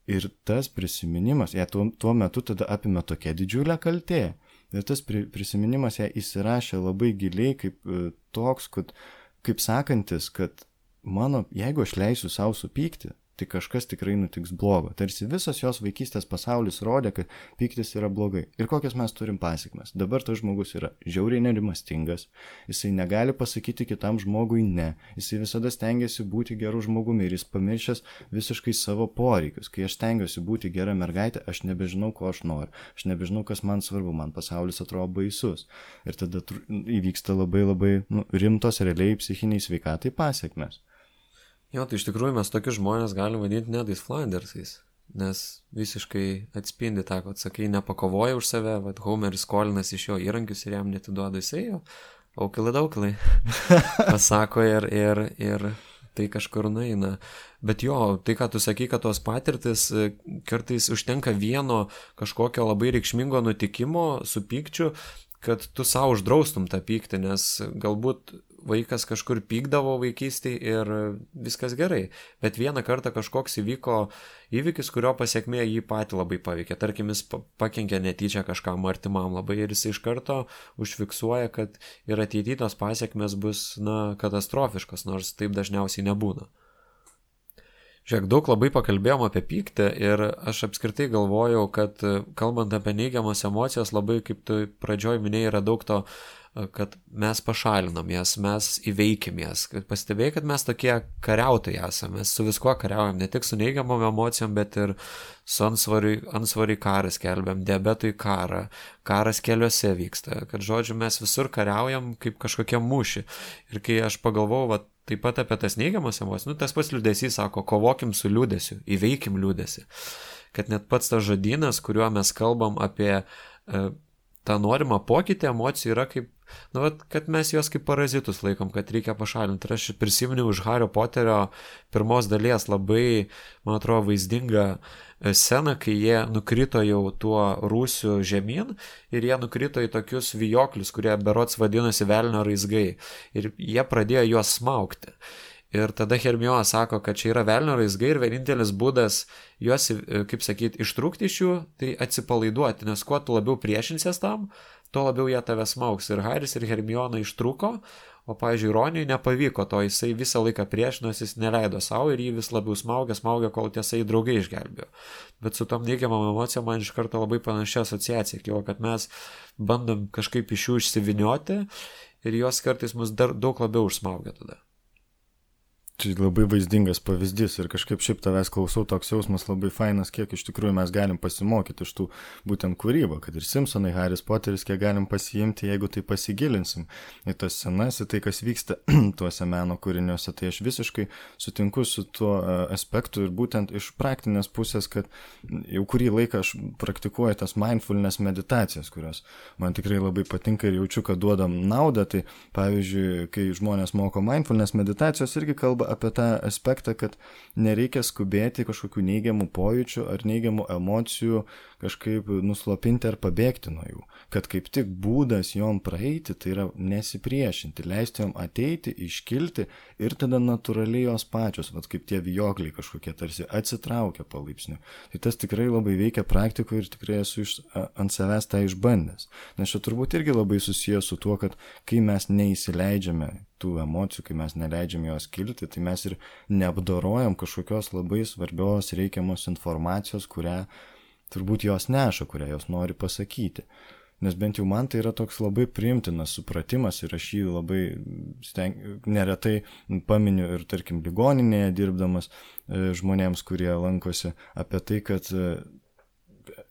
Ir tas prisiminimas, ją tuo metu tada apima tokia didžiulė kaltė. Ir tas prisiminimas ją įsirašė labai giliai kaip toks, kaip sakantis, kad jeigu aš leisiu savo supykti, tai kažkas tikrai nutiks blogo. Tarsi visas jos vaikystės pasaulis rodė, kad pyktis yra blogai. Ir kokias mes turim pasekmes. Dabar tas žmogus yra žiauriai nerimastingas, jisai negali pasakyti kitam žmogui ne, jisai visada stengiasi būti geru žmogumi ir jis pamiršęs visiškai savo poreikius. Kai aš stengiuosi būti gera mergaitė, aš nebežinau, ko aš noriu, aš nebežinau, kas man svarbu, man pasaulis atrodo baisus. Ir tada įvyksta labai labai rimtos realiai psichiniai sveikatai pasekmes. Jo, tai iš tikrųjų mes tokius žmonės galim vadinti Nedais Flandersais, nes visiškai atspindi tą, kad sakai, nepakovoja už save, vad Homeris skolinas iš jo įrankius ir jam netiduoda, jisai jo, aukilai daukilai, pasako ir tai kažkur nueina. Bet jo, tai ką tu sakai, kad tos patirtis kartais užtenka vieno kažkokio labai reikšmingo nutikimo su pykčiu, kad tu savo uždraustum tą pyktį, nes galbūt vaikas kažkur pykdavo vaikystėje ir viskas gerai, bet vieną kartą kažkoks įvyko įvykis, kurio pasiekmė jį patį labai paveikė. Tarkim, jis pakenkė netyčia kažkam artimam labai ir jis iš karto užfiksuoja, kad ir ateityje tos pasiekmės bus katastrofiškos, nors taip dažniausiai nebūna. Žiūrėk, daug labai pakalbėjom apie pyktį ir aš apskritai galvojau, kad kalbant apie neigiamas emocijas, labai, kaip tu pradžioj minėjai, yra daug to, kad mes pašalinam jas, mes įveikim jas. Pastebėjai, kad mes tokie kariautojai esame, mes su viskuo kariaujam, ne tik su neigiamom emocijom, bet ir su ansvariai karą skelbiam, diabetui karą, karas keliuose vyksta, kad žodžiu mes visur kariaujam kaip kažkokie mūšį. Ir kai aš pagalvojau, taip pat apie tas neigiamas emocijas, tas pats liūdesys sako, kovokim su liūdesiu, įveikim liūdesį. Kad net pats tas žodynas, kuriuo mes kalbam apie tą norimą pokytį emocijų yra kaip, kad mes juos kaip parazitus laikom, kad reikia pašalinti. Ir aš prisiminiau už Hario Poterio pirmos dalies labai, man atrodo, vaizdingą sceną, kai jie nukrito jau tuo rūsiu žemyn ir jie nukrito į tokius vijoklius, kurie berods vadinosi velnio raizgai. Ir jie pradėjo juos smaugti. Ir tada Hermiona sako, kad čia yra velnio raizgai ir vienintelis būdas juos, kaip sakyti, ištrūkti iš jų, tai atsipalaiduoti, nes kuo tu labiau priešinsies tam, tuo labiau jie tave smaugs. Ir Haris ir Hermiona ištrūko, O, pavyzdžiui, Roniui nepavyko to, jisai visą laiką priešinosi, jis neleido savo ir jį vis labiau smaugia, kol tiesai draugai išgelbėjo. Bet su tom neigiamam emocijom man iš karto labai panašia asociacija kilo, kad mes bandom kažkaip iš jų išsivinioti ir jos kartais mus dar daug labiau užsmaugia tada. Čia labai vaizdingas pavyzdys ir kažkaip šiaip tavęs klausau, toks jausmas labai fainas, kiek iš tikrųjų mes galim pasimokyti iš tų būtent kūrybą, kad ir Simpsonai, Haris Poteris, kiek galim pasiimti, jeigu tai pasigilinsim į tas scenas, į tai, kas vyksta tuose meno kūriniuose. Tai aš visiškai sutinku su tuo aspektu ir būtent iš praktinės pusės, kad jau kurį laiką aš praktikuoju tas mindfulness meditacijas, kurios man tikrai labai patinka ir jaučiu, kad duodam naudą. Tai pavyzdžiui, kai žmonės moko mindfulness meditacijos, irgi kalba apie tą aspektą, kad nereikia skubėti kažkokių neigiamų pojūčių ar neigiamų emocijų kažkaip nuslopinti ar pabėgti nuo jų. Kad kaip tik būdas jom praeiti, tai yra nesipriešinti, leisti jom ateiti, iškilti ir tada natūraliai jos pačios, vat kaip tie vijokliai kažkokie tarsi atsitraukia palaipsniui. Tai tas tikrai labai veikia praktikoje ir tikrai esu ant savęs tą išbandęs. Nes čia turbūt irgi labai susijęs su tuo, kad kai mes neįsileidžiame tų emocijų, kai mes neleidžiam jos kilti, tai mes ir neapdorojam kažkokios labai svarbios reikiamos informacijos, kurią turbūt jos neša, kurią jos nori pasakyti. Nes bent jau man tai yra toks labai priimtinas supratimas ir aš jį labai neretai paminiu ir tarkim ligoninėje dirbdamas žmonėms, kurie lankosi, apie tai, kad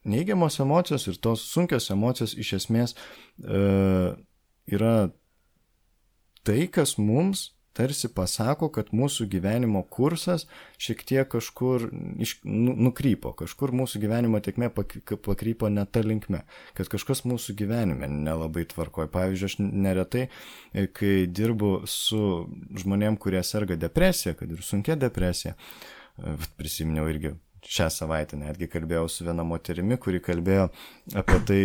neigiamos emocijos ir tos sunkios emocijos iš esmės yra tai, kas mums tarsi pasako, kad mūsų gyvenimo kursas šiek tiek kažkur nukrypo, kažkur mūsų gyvenimo tėkmė pakrypo ne ta linkme, kad kažkas mūsų gyvenime nelabai tvarkoja. Pavyzdžiui, aš neretai, kai dirbu su žmonėm, kurie serga depresija, kad ir sunkia depresija, prisiminiau irgi šią savaitę, netgi kalbėjau su viena moterimi, kuri kalbėjo apie tai,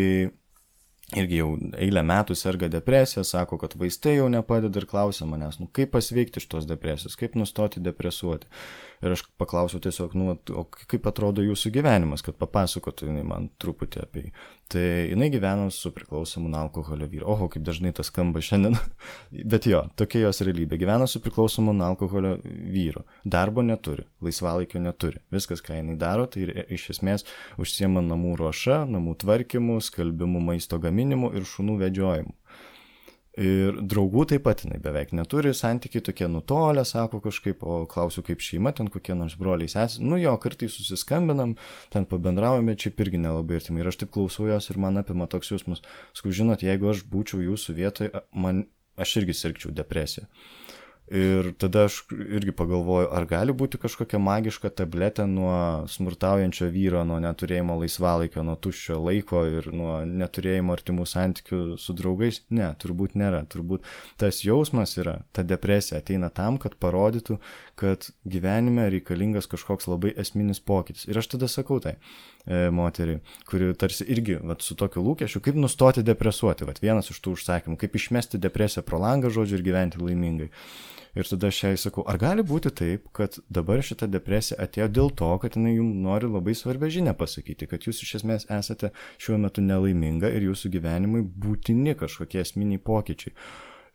irgi jau eilę metų serga depresija, sako, kad vaistai jau nepadeda ir klausia manęs, kaip pasveikti iš tos depresijos, kaip nustoti depresuoti. Ir aš paklausiau tiesiog, o kaip atrodo jūsų gyvenimas, kad papasakotų jinai man truputį apie jį. Tai jinai gyveno su priklausomu nuo alkoholio vyru. Oho, kaip dažnai tas skamba šiandien. Bet jo, tokia jos realybė. Gyveno su priklausomu nuo alkoholio vyru. Darbo neturi, laisvalaikio neturi. Viskas, ką jinai daro, tai iš esmės užsiema namų ruoša, namų tvarkymu, skalbimu, maisto gaminimu ir šunų vedžiojimu. Ir draugų taip pat jinai beveik neturi, santykiai tokie nutolę, sako kažkaip, o klausiu kaip šeima, ten kokie nors broliai sesės, jo, kartais susiskambinam, ten pabendraujame, čia irgi nelabai artimai. Ir aš taip klausau jos ir man apima toks jausmas, žinot, jeigu aš būčiau jūsų vietoje, aš irgi sirgčiau depresiją. Ir tada aš irgi pagalvoju, ar gali būti kažkokia magiška tabletė nuo smurtaujančio vyro, nuo neturėjimo laisvalaikio, nuo tuščio laiko ir nuo neturėjimo artimų santykių su draugais? Ne, turbūt nėra. Turbūt tas jausmas yra, ta depresija ateina tam, kad parodytų, kad gyvenime reikalingas kažkoks labai esminis pokytis. Ir aš tada sakau tai moteriai, kuri tarsi irgi su tokiu lūkesčiu, kaip nustoti depresuoti, vienas iš tų užsakymų, kaip išmesti depresiją pro langą, žodžiu, ir gyventi laimingai. Ir tada aš jai sakau, ar gali būti taip, kad dabar šita depresija atėjo dėl to, kad jinai jums nori labai svarbią žinią pasakyti, kad jūs iš esmės esate šiuo metu nelaiminga ir jūsų gyvenimui būtini kažkokie esminiai pokyčiai.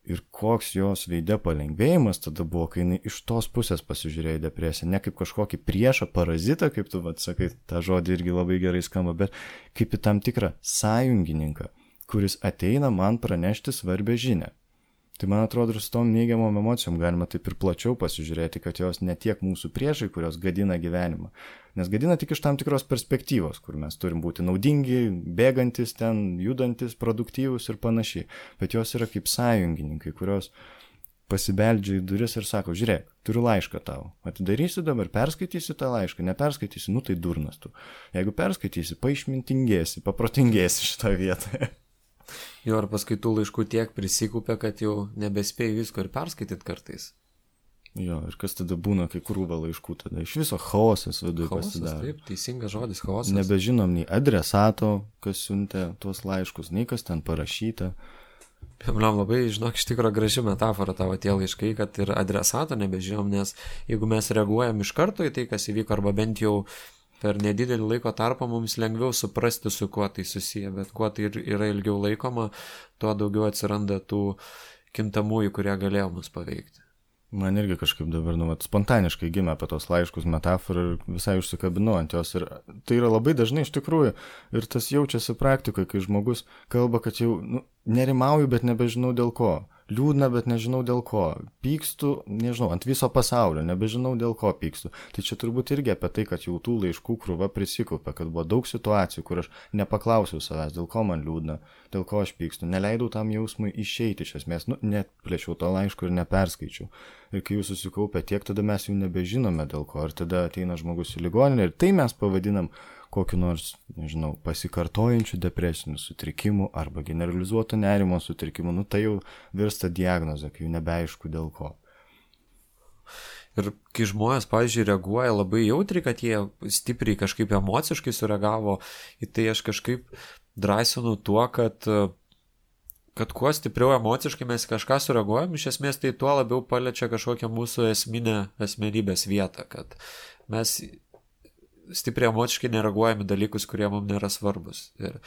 Ir koks jos veide palengvėjimas tada buvo, kai jinai iš tos pusės pasižiūrėjo į depresiją, ne kaip kažkokį priešą, parazitą, kaip tu sakai, tą žodį irgi labai gerai skamba, bet kaip į tam tikrą sąjungininką, kuris ateina man pranešti svarbią žinią. Tai man atrodo, ir su tom neigiamom emocijom galima taip ir plačiau pasižiūrėti, kad jos ne tiek mūsų priešai, kurios gadina gyvenimą. Nes gadina tik iš tam tikros perspektyvos, kur mes turim būti naudingi, bėgantis ten, judantis, produktyvus ir panašiai. Bet jos yra kaip sąjungininkai, kurios pasibeldžia į duris ir sako, žiūrėk, turiu laišką tau. Atidarysi dabar, perskaitysi tą laišką, neperskaitysi, tai durnas tu. Jeigu perskaitysi, paišmintingėsi, paprotingėsi šitą vietą. Jo, ar paskaitų laiškų tiek prisikupia, kad jau nebespėjai visko ir perskaityt kartais. Jo, ir kas tada būna, kai krūva laiškų, tada iš viso chaosas viduje pasidaro. Taip, teisingas žodis, chaosas. Nebežinom nei adresato, kas siuntė tuos laiškus, nei kas ten parašyta. Man labai, žinok, iš tikro graži metafora tavo tie laiškai, kad ir adresato nebežinom, nes jeigu mes reaguojam iš karto į tai, kas įvyko, arba bent jau per nedidelį laiko tarpą mums lengviau suprasti, su kuo tai susiję, bet kuo tai yra ilgiau laikoma, tuo daugiau atsiranda tų kintamųjų, kurie galėjo mus paveikti. Man irgi kažkaip dabar, spontaniškai gimė apie tos laiškus metaforą ir visai užsikabinau ant jos. Ir tai yra labai dažnai iš tikrųjų. Ir tas jaučiasi praktikoje, kai žmogus kalba, kad jau nerimauju, bet nebežinau dėl ko. Liūdna, bet nežinau dėl ko. Pykstu, nežinau, ant viso pasaulio, nebežinau dėl ko pykstu. Tai čia turbūt irgi apie tai, kad jau tų laiškų krūva prisikaupė, kad buvo daug situacijų, kur aš nepaklausiau savęs, dėl ko man liūdna, dėl ko aš pykstu. Neleidau tam jausmui išeiti iš esmės, net plėšiau to laiško ir neperskaičiau. Ir kai jūs susikaupė tiek, tada mes jau nebežinome dėl ko. Ir tada ateina žmogus į ligoninę ir tai mes pavadinam kokiu nors, nežinau, pasikartojančių depresinių sutrikimų arba generalizuoto nerimo sutrikimų. Tai jau virsta diagnozė, kai jau nebeaišku dėl ko. Ir kai žmonės, pavyzdžiui, reaguoja labai jautriai, kad jie stipriai kažkaip emociškai sureagavo, į tai aš kažkaip drąsinu tuo, kad kuo stipriau emociškai mes kažką sureaguojam, iš esmės tai tuo labiau paliečia kažkokią mūsų esminę asmenybės vietą, kad mes stipriai emociškai nereaguojame dalykus, kurie mums nėra svarbus. Ir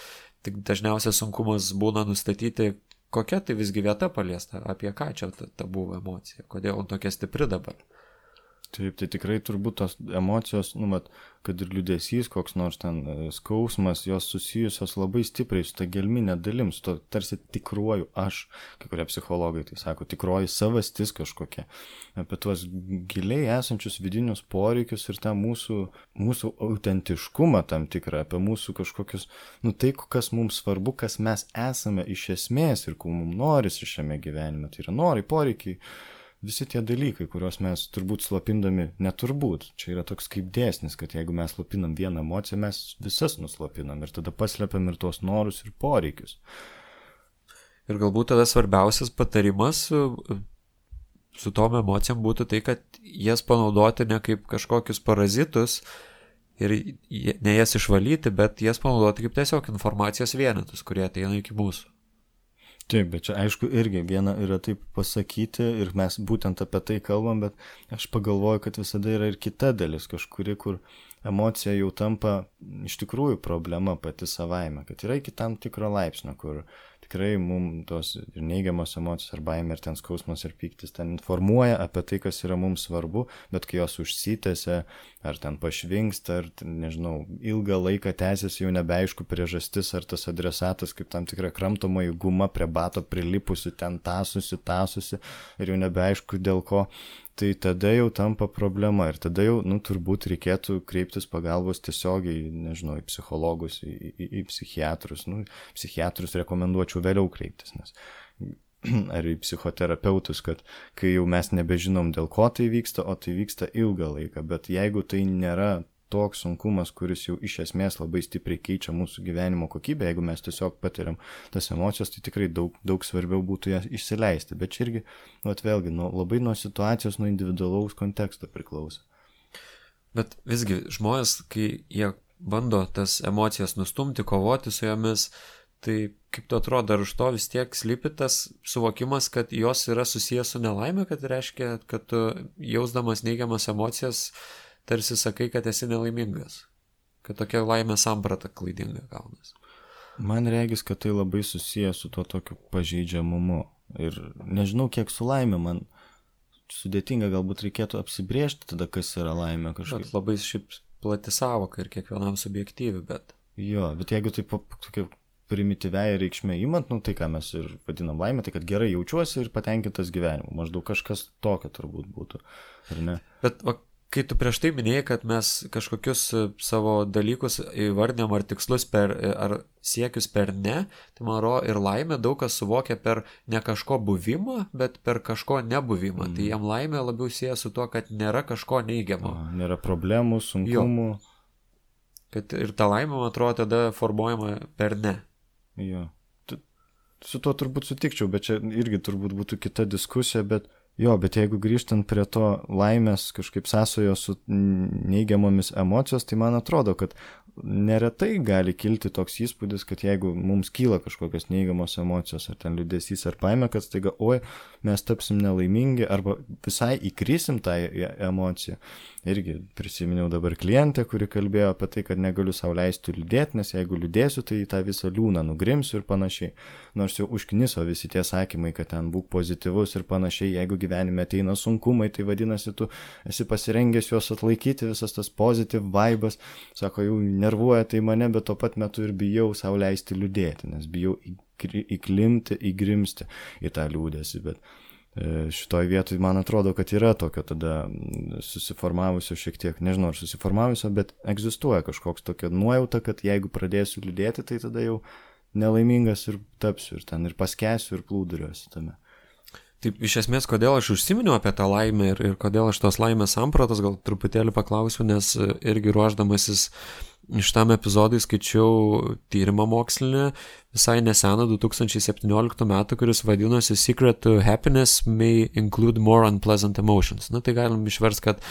tik dažniausiai sunkumas būna nustatyti, kokia tai visgi vieta paliesta, apie ką čia ta buvo emocija, kodėl tokia stipri dabar. Taip, tai tikrai turbūt tos emocijos, kad ir liūdesys, koks nors ten skausmas, jos susijusios labai stipriai su ta gelminė dalim, su to tarsi tikruoju aš, kai kurie psichologai tai sako, tikroji savastis kažkokia, apie tuos giliai esančius vidinius poreikius ir tą mūsų autentiškumą tam tikrą, apie mūsų kažkokius, tai, kas mums svarbu, kas mes esame iš esmės ir ko mums norisi šiame gyvenime, tai yra norai, poreikiai. Visi tie dalykai, kuriuos mes turbūt slopindami, neturbūt, čia yra toks kaip dėsnis, kad jeigu mes slopinam vieną emociją, mes visas nuslopinam ir tada paslepiam ir tuos norus ir poreikius. Ir galbūt tada svarbiausias patarimas su tom emocijom būtų tai, kad jas panaudoti ne kaip kažkokius parazitus ir ne jas išvalyti, bet jas panaudoti kaip tiesiog informacijos vienetus, kurie ateina iki mūsų. Taip, bet čia aišku irgi viena yra taip pasakyti ir mes būtent apie tai kalbam, bet aš pagalvoju, kad visada yra ir kita dalis kažkuri, kur emocija jau tampa iš tikrųjų problema pati savaime, kad yra iki tam tikro laipsnio, kur tikrai mums tos ir neigiamos emocijos ar baimė ir ten skausmas ir pyktis ten informuoja apie tai, kas yra mums svarbu, bet kai jos užsitęsia ar ten pašvinksta, ar nežinau, ilgą laiką tęsiasi jau nebeaišku priežastis, ar tas adresatas kaip tam tikra kramtomoji guma prie bato prilipusi, ten tąsusi ir jau nebeaišku dėl ko. Tai tada jau tampa problema ir tada jau, turbūt reikėtų kreiptis pagalbos tiesiogiai, nežinau, į psichologus, į psichiatrus. Psichiatrus rekomenduočiau vėliau kreiptis, nes ar į psichoterapeutus, kad kai jau mes nebežinom dėl ko tai vyksta, o tai vyksta ilgą laiką, bet jeigu tai nėra toks sunkumas, kuris jau iš esmės labai stipriai keičia mūsų gyvenimo kokybę, jeigu mes tiesiog patiriam tas emocijas, tai tikrai daug svarbiau būtų jas išsileisti. Bet čia irgi, vėlgi, labai nuo situacijos, nuo individualaus konteksto priklauso. Bet visgi žmonės, kai jie bando tas emocijas nustumti, kovoti su jomis, tai kaip tu atrodo, ar už to vis tiek slypi tas suvokimas, kad jos yra susijęs su nelaime, kad reiškia, kad tu jausdamas neigiamas emocijas tarsi sakai, kad esi nelaimingas, kad tokia laimė samprata klaidinga gaunas. Man regis, kad tai labai susijęs su tuo tokiu pažeidžiamumu ir nežinau, kiek su laimė, man sudėtinga galbūt reikėtų apsibrėžti tada, kas yra laimė kažkaip. Bet labai šiaip plati savoka ir kiekvienam subjektyvi, bet... Jo, bet jeigu taip tokia primityviai reikšmė imant, tai ką mes ir vadinam laimė, tai kad gerai jaučiuosi ir patenkintas gyvenimu, maždaug kažkas tokio turbūt būtų, ar ne? Bet kai tu prieš tai minėjai, kad mes kažkokius savo dalykus įvardinam ar tikslus ar siekius per ne, tai man atrodo ir laimė daug kas suvokia per ne kažko buvimą, bet per kažko nebuvimą. Tai jam laimė labiau sieja su tuo, kad nėra kažko neigiamo. Nėra problemų, sunkumų. Kad ir ta laimė, man atrodo, tada formuojama per ne. Jo. Su tuo turbūt sutikčiau, bet čia irgi turbūt būtų kita diskusija, bet jeigu grįžtant prie to laimės kažkaip sąsajos su neigiamomis emocijos, tai man atrodo, kad neretai gali kilti toks įspūdis, kad jeigu mums kyla kažkokios neigiamos emocijos, ar ten liūdesys, ar baimė, kad staiga, oi, mes tapsim nelaimingi, arba visai įkrisim tą emociją. Irgi prisiminiau dabar klientę, kuri kalbėjo apie tai, kad negaliu sau leisti liūdėti, nes jeigu liūdėsiu, tai tą visą liūną nugrimsiu ir panašiai. Nors jau užkniso visi tie sakymai, kad ten būk pozityvus ir panašiai, jeigu gyvenime ateina sunkumai, tai vadinasi, tu esi pasirengęs juos atlaikyti, visas tas positive vibas, sako, jau nervuoja tai mane, bet tuo pat metu ir bijau sau leisti liūdėti, nes bijau įklimti, įgrimsti į tą liūdėsį, bet šitoj vietoj man atrodo, kad yra tokio tada susiformavusio šiek tiek, nežinau ar susiformavusio, bet egzistuoja kažkoks tokia nuojauta, kad jeigu pradėsiu liūdėti, tai tada jau nelaimingas ir tapsiu, ir ten ir paskęsiu, ir plūduriuosi tame. Taip, iš esmės, kodėl aš užsiminiau apie tą laimę ir kodėl aš tos laimės sampratos gal truputėlį paklausiu, nes irgi ruoždamasis šitam epizodui skaičiau tyrimą mokslinį visai neseną 2017 metų, kuris vadinosi Secret to Happiness may include more unpleasant emotions. Na, tai galim išversti, kad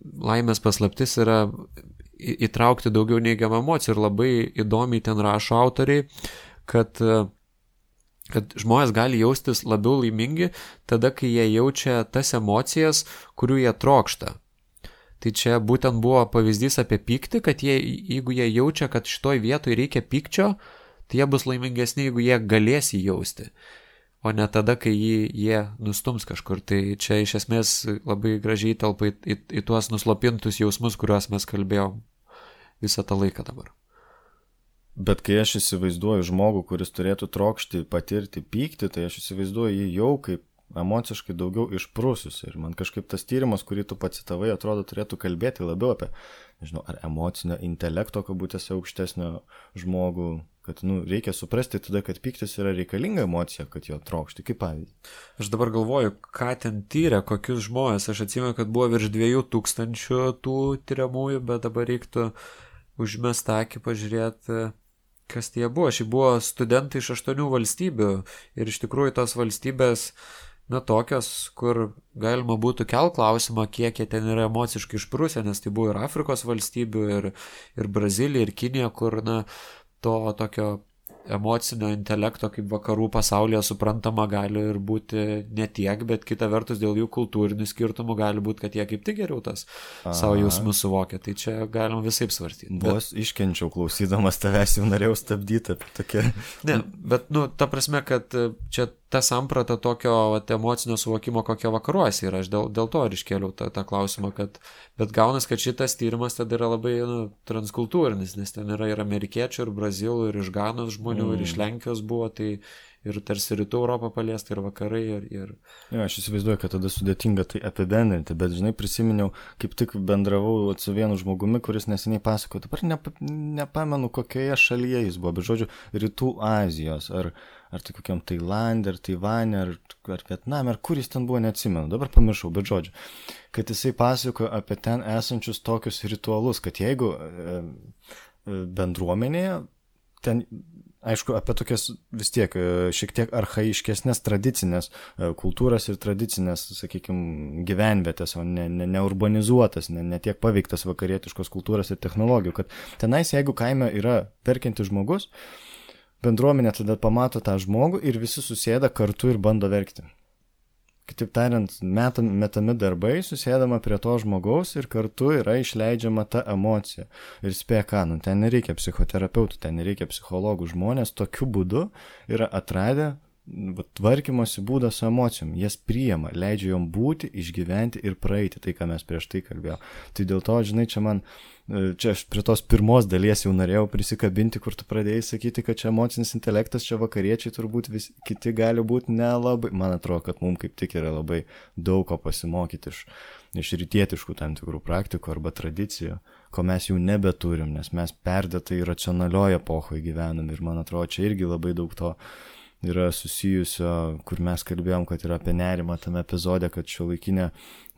laimės paslaptis yra įtraukti daugiau neigiamą emociją ir labai įdomiai ten rašo autoriai, kad žmonės gali jaustis labiau laimingi tada, kai jie jaučia tas emocijas, kurių jie trokšta. Tai čia būtent buvo pavyzdys apie pyktį, kad jeigu jie jaučia, kad šitoj vietoj reikia pykčio, tai jie bus laimingesni, jeigu jie galės jį jausti, o ne tada, kai jie nustums kažkur. Tai čia iš esmės labai gražiai telpa į tuos nuslopintus jausmus, kuriuos mes kalbėjom visą tą laiką dabar. Bet kai aš įsivaizduoju žmogų, kuris turėtų trokšti patirti pyktį, tai aš įsivaizduoju jį jau kaip emociškai daugiau išprususi. Ir man kažkaip tas tyrimas, kurį tu pacitavai, atrodo turėtų kalbėti labiau apie, nežinau, ar emocinio intelekto kabutėse aukštesnio žmogų, kad, reikia suprasti tada, kad pyktis yra reikalinga emocija, kad jo trokšti, kaip pavyzdį. Aš dabar galvoju, ką ten tyrė, kokius žmonės. Aš atsimenu, kad buvo virš 2000 tų tyriamųjų, bet dabar reiktų užmest akį, pažiūrėti, kas tie buvo. Šiaip buvo studentai iš 8 valstybių ir iš tikrųjų tos valstybės tokios, kur galima būtų kelt klausimą, kiek jie ten yra emociškai išprusę, nes tai buvo ir Afrikos valstybių, ir Brazilija, ir Kinija, kur, to tokio emocinio intelekto kaip vakarų pasaulyje suprantama gali ir būti netiek, bet kita vertus dėl jų kultūrinių skirtumų gali būti, kad jie kaip tik geriau tas savo jausmus suvokia. Tai čia galim visaip svarstyti. Vos iškenčiau klausydamas tavęs, jau norėjau stabdyti apie tokią. Ne, bet, ta prasme, kad čia ta samprata tokio emocinio suvokimo, kokia vakaruose yra. Aš dėl to ir iškėliau tą klausimą, bet gaunas, kad šitas tyrimas tada yra labai transkultūrinis, nes ten yra ir amerikiečių, ir brazilų, ir iš Ganos žmonių, ir iš Lenkijos buvo, tai ir tarsi rytų Europą paliesta, ir vakarai, ir... Jo, aš įsivaizduoju, kad tada sudėtinga tai apibendrinti, bet, žinai, prisiminiau, kaip tik bendravau su vienu žmogumi, kuris neseniai pasakojo, dabar nepamenu, kokioje šalyje jis buvo, bet žodžiu, rytų Azijos, ar tai kokiam Tailandė, ar Taivane, ar Vietname, ar kur jis ten buvo, neatsimenu, dabar pamiršau, bet žodžiu, kad jisai pasakojo apie ten esančius tokius ritualus, kad jeigu bendruomenėje, ten, aišku, apie tokias vis tiek šiek tiek archaiškesnės tradicinės kultūras ir tradicinės, sakykime, gyvenvietės, o ne urbanizuotas, ne tiek paveiktas vakarietiškos kultūros ir technologijų, kad tenais, jeigu kaime yra verkiantis žmogus, bendruomenė tada pamato tą žmogų ir visi susėda kartu ir bando verkti. Kitaip tariant, metami darbai, susėdama prie to žmogaus ir kartu yra išleidžiama ta emocija. Ir spėja ką, ten nereikia psichoterapeutų, ten nereikia psichologų, žmonės tokiu būdu yra atradę tvarkymosi būdą su emocijom. Jas priima, leidžia jom būti, išgyventi ir praeiti, tai ką mes prieš tai kalbėjome. Tai dėl to, žinai, čia aš prie tos pirmos dalies jau norėjau prisikabinti, kur tu pradėjai sakyti, kad čia emocinis intelektas, čia vakariečiai turbūt kiti gali būti nelabai. Man atrodo, kad mums kaip tik yra labai daug ko pasimokyti iš rytietiškų tam tikrų praktikų arba tradicijų, ko mes jau nebeturim, nes mes perdėtai racionalioje epochoje gyvenam ir man atrodo, čia irgi labai daug to yra susijusio, kur mes kalbėjom, kad yra apie nerimą tame epizode, kad šiuolaikinė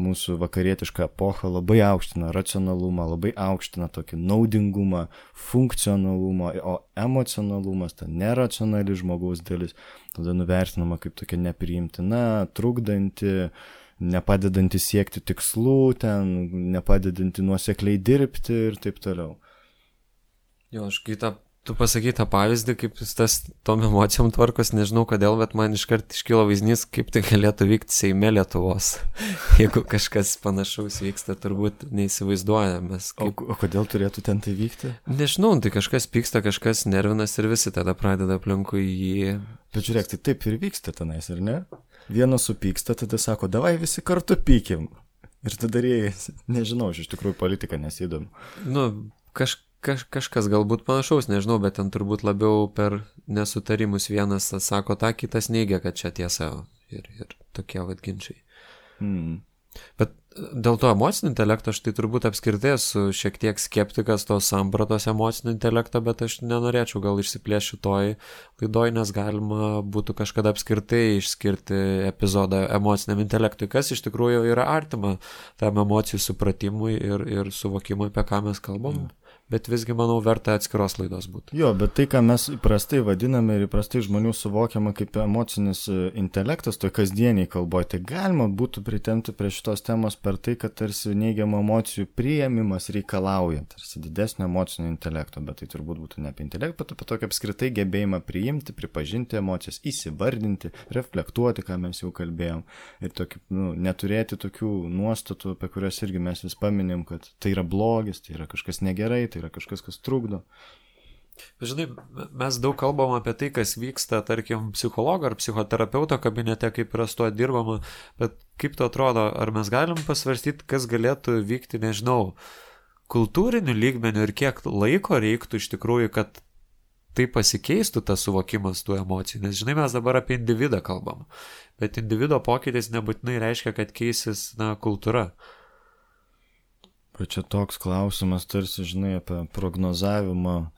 mūsų vakarietiška epocha labai aukština racionalumą, labai aukština tokį naudingumą, funkcionalumą, o emocionalumas, ta neracionali žmogaus dalis, tada nuvertinama kaip tokia nepriimtina, trukdanti, nepadedanti siekti tikslų, ten nepadedanti nuosekliai dirbti ir taip toliau. Jo, aš tu pasakai tą pavyzdį, kaip jis tas tom emocijom tvarkos, nežinau kodėl, bet man iškart iškilo vaizdinys, kaip tai galėtų vykti Seime Lietuvos. Jeigu kažkas panašaus vyksta, turbūt neįsivaizduojame. Kaip... O kodėl turėtų ten tai vykti? Nežinau, tai kažkas pyksta, kažkas nervinas ir visi tada pradeda aplinkui jį. Bet žiūrėk, tai taip ir vyksta tenais, ar ne? Vienas supyksta, tada sako, davai visi kartu pykim. Ir tada rėjai, nežinau, iš tikrųjų politika nesidomi. Nu, kažkas galbūt panašaus, nežinau, bet ten turbūt labiau per nesutarimus vienas sako tą, kitas neigia, kad čia tiesa ir tokie ginčiai. Bet dėl to emocinio intelekto aš tai turbūt apskritai esu šiek tiek skeptikas tos sampratos emocinio intelekto, bet aš nenorėčiau gal išsiplėšti šitoj laidoj, nes galima būtų kažkada apskritai išskirti epizodą emociniam intelektui, kas iš tikrųjų yra artima tam emocijų supratimui ir suvokimui, apie ką mes kalbam. Bet visgi, manau, verta atskiros laidos būtų. Jo, bet tai, ką mes įprastai vadiname ir įprastai žmonių suvokiama kaip emocinis intelektas, toj kasdieniai kalboje, tai galima būtų pritempti prie šitos temos per tai, kad tarsi neigiamų emocijų priėmimas reikalauja tarsi didesnio emocinio intelekto, bet tai turbūt būtų ne apie intelektą, bet apie tokį apskritai gebėjimą priimti, pripažinti emocijas, įsivardinti, reflektuoti, ką mes jau kalbėjom, ir tokį, neturėti tokių nuostatų, apie kurias irgi mes vis paminim, kad tai yra blogis, tai yra kažkas negerai, tai yra kažkas, kas trukdo. Žinai, mes daug kalbam apie tai, kas vyksta, tarkim, psichologo ar psichoterapeuto kabinete, kaip yra su tuo dirbama, bet kaip to atrodo, ar mes galim pasvarstyti, kas galėtų vykti, nežinau, kultūriniu lygmeniu ir kiek laiko reiktų iš tikrųjų, kad tai pasikeistų tas suvokimas tų emocijų, nes žinai, mes dabar apie individą kalbam, bet individo pokytis nebūtinai reiškia, kad keisis, kultūra. Bet čia toks klausimas, tarsi, žinai, apie prognozavimą,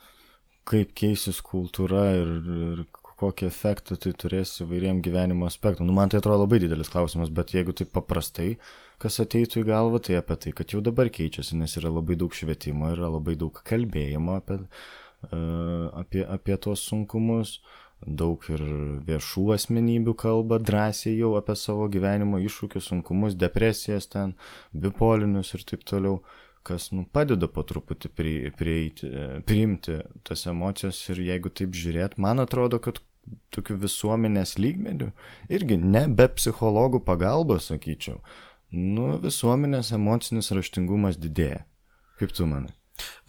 kaip keisis kultūra ir kokį efektą tai turės įvairiem gyvenimo aspektam. Man tai atrodo labai didelis klausimas, bet jeigu taip paprastai, kas ateitų į galvą, tai apie tai, kad jau dabar keičiasi, nes yra labai daug švietimo, yra labai daug kalbėjimo apie tuos sunkumus. Daug ir viešų asmenybių kalba drąsiai jau apie savo gyvenimo iššūkius, sunkumus, depresijas ten, bipolinius ir taip toliau, kas padeda po truputį priimti tas emocijas ir jeigu taip žiūrėt, man atrodo, kad tokių visuomenės lygmenių, irgi ne be psichologų pagalbos, sakyčiau, visuomenės emocinis raštingumas didėja. Kaip tu manai?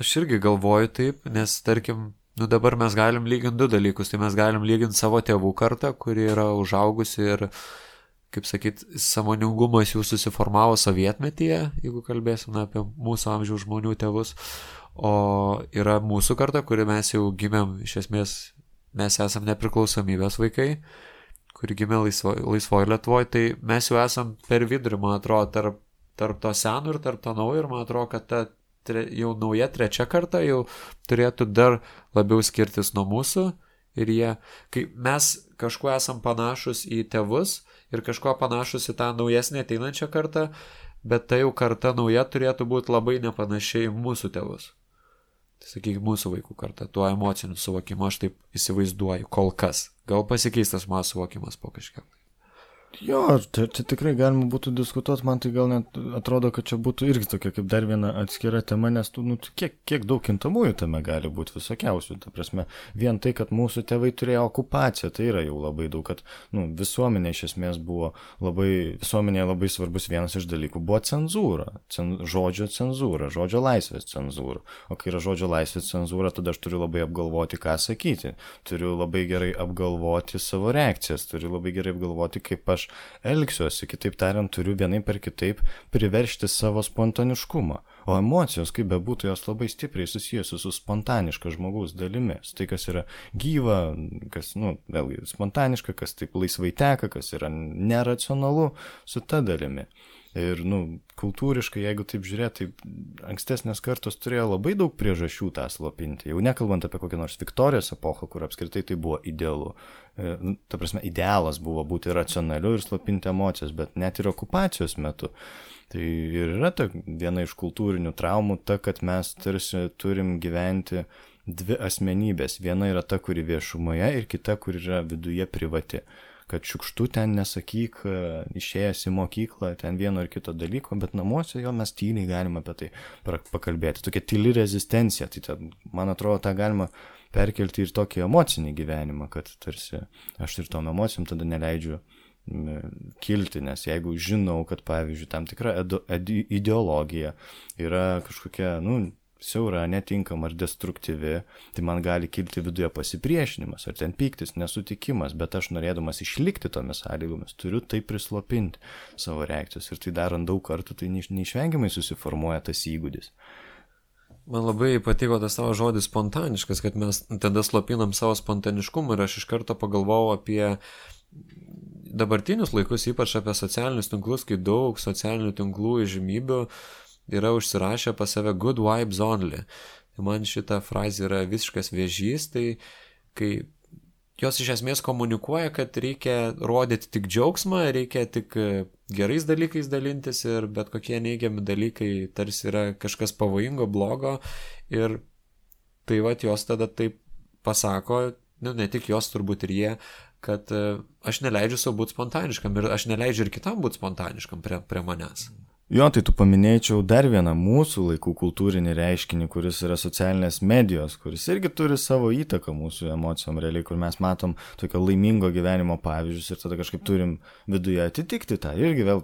Aš irgi galvoju taip, nes tarkim, dabar mes galim lyginti du dalykus, tai mes galim lyginti savo tėvų kartą, kuri yra užaugusi ir, kaip sakyt, sąmoningumas jų susiformavo sovietmetyje, jeigu kalbėsim apie mūsų amžiaus žmonių tėvus, o yra mūsų karta, kuri mes jau gimėm, iš esmės, mes esam nepriklausomybės vaikai, kuri gimė laisvoje Lietuvoje, tai mes jau esam per vidurį, man atrodo, tarp to senų ir tarp to naujo, ir man atrodo, kad ta jau nauja trečia karta jau turėtų dar labiau skirtis nuo mūsų ir kai mes kažkuo esam panašus į tėvus ir kažkuo panašus į tą naujesnę ateinančią kartą, bet ta jau karta nauja turėtų būti labai nepanašiai mūsų tėvus. Tai sakykime, mūsų vaikų karta, tuo emociniu suvokimu aš taip įsivaizduoju kol kas. Gal pasikeistas mano suvokimas po kažkiek. Jo, čia tikrai galima būtų diskutuoti, man tai gal net atrodo, kad čia būtų irgi tokia kaip dar viena atskira tema, nes kiek daug kintamųjų tame gali būti visokiausių. Ta prasme, vien tai, kad mūsų tėvai turėjo okupaciją, tai yra jau labai daug, kad visuomenė iš esmės buvo visuomenėje labai svarbus vienas iš dalykų buvo cenzūra, žodžio cenzūra, žodžio laisvės cenzūra. O kai yra žodžio laisvės cenzūra, tada aš turiu labai apgalvoti, ką sakyti, turiu labai gerai apgalvoti savo reakcijas, turiu labai gerai apgalvoti, kaip aš elgsiuosi, kitaip tariant, turiu vienaip per kitaip priveršti savo spontaniškumą. O emocijos, kaip bebūtų, jos labai stipriai susijusios su spontaniška žmogaus dalimis. Tai, kas yra gyva, kas, vėlgi, spontaniška, kas taip laisvai teka, kas yra neracionalu, su ta dalimi. Ir, kultūriškai, jeigu taip žiūrėti, tai ankstesnės kartos turėjo labai daug priežasčių tą slopinti. Jau nekalbant apie kokią nors Viktorijos epochą, kur apskritai tai buvo idealu. Ta prasme, idealas buvo būti racionaliu ir slopinti emocijas, bet net ir okupacijos metu. Tai ir yra viena iš kultūrinių traumų ta, kad mes tarsi turim gyventi dvi asmenybės. Viena yra ta, kuri viešumoje ir kita, kuri yra viduje privati. kad šiukštu ten nesakyk, išėjęs į mokyklą, ten vieno ar kito dalyko, bet namuose jo mes tyliai galime apie tai pakalbėti. Tokia tyli rezistencija, tai ten, man atrodo, tą galima perkelti ir tokį emocinį gyvenimą, kad tarsi aš ir tom emocijom tada neleidžiu kilti, nes jeigu žinau, kad pavyzdžiui tam tikra ideologija yra kažkokia, siaura, netinkama ar destruktyvi, tai man gali kilti viduje pasipriešinimas ar ten pyktis, nesutikimas, bet aš norėdamas išlikti tomis sąlygomis turiu tai prislopinti savo reakcijos ir tai darant daug kartų, tai neišvengiamai susiformuoja tas įgūdis. Man labai patiko tas tavo žodis spontaniškas, kad mes tada slopinam savo spontaniškumą ir aš iš karto pagalvojau apie dabartinius laikus, ypač apie socialinius tinklus, kai daug socialinių tinklų įžymybių yra užsirašę pas save good vibes only. Tai man šita frazė yra visiškas vėžys, tai kai jos iš esmės komunikuoja, kad reikia rodyti tik džiaugsmą, reikia tik gerais dalykais dalintis ir bet kokie neigiami dalykai tarsi yra kažkas pavojingo, blogo ir tai vat jos tada taip pasako, ne tik jos, turbūt ir jie, kad aš neleidžiu savo būti spontaniškam ir aš neleidžiu ir kitam būti spontaniškam prie manęs. Jo, tai tu paminėčiau dar vieną mūsų laikų kultūrinį reiškinį, kuris yra socialinės medijos, kuris irgi turi savo įtaką mūsų emocijom realiai, kur mes matom tokio laimingo gyvenimo pavyzdžius ir tada kažkaip turim viduje atitikti tą. Irgi vėl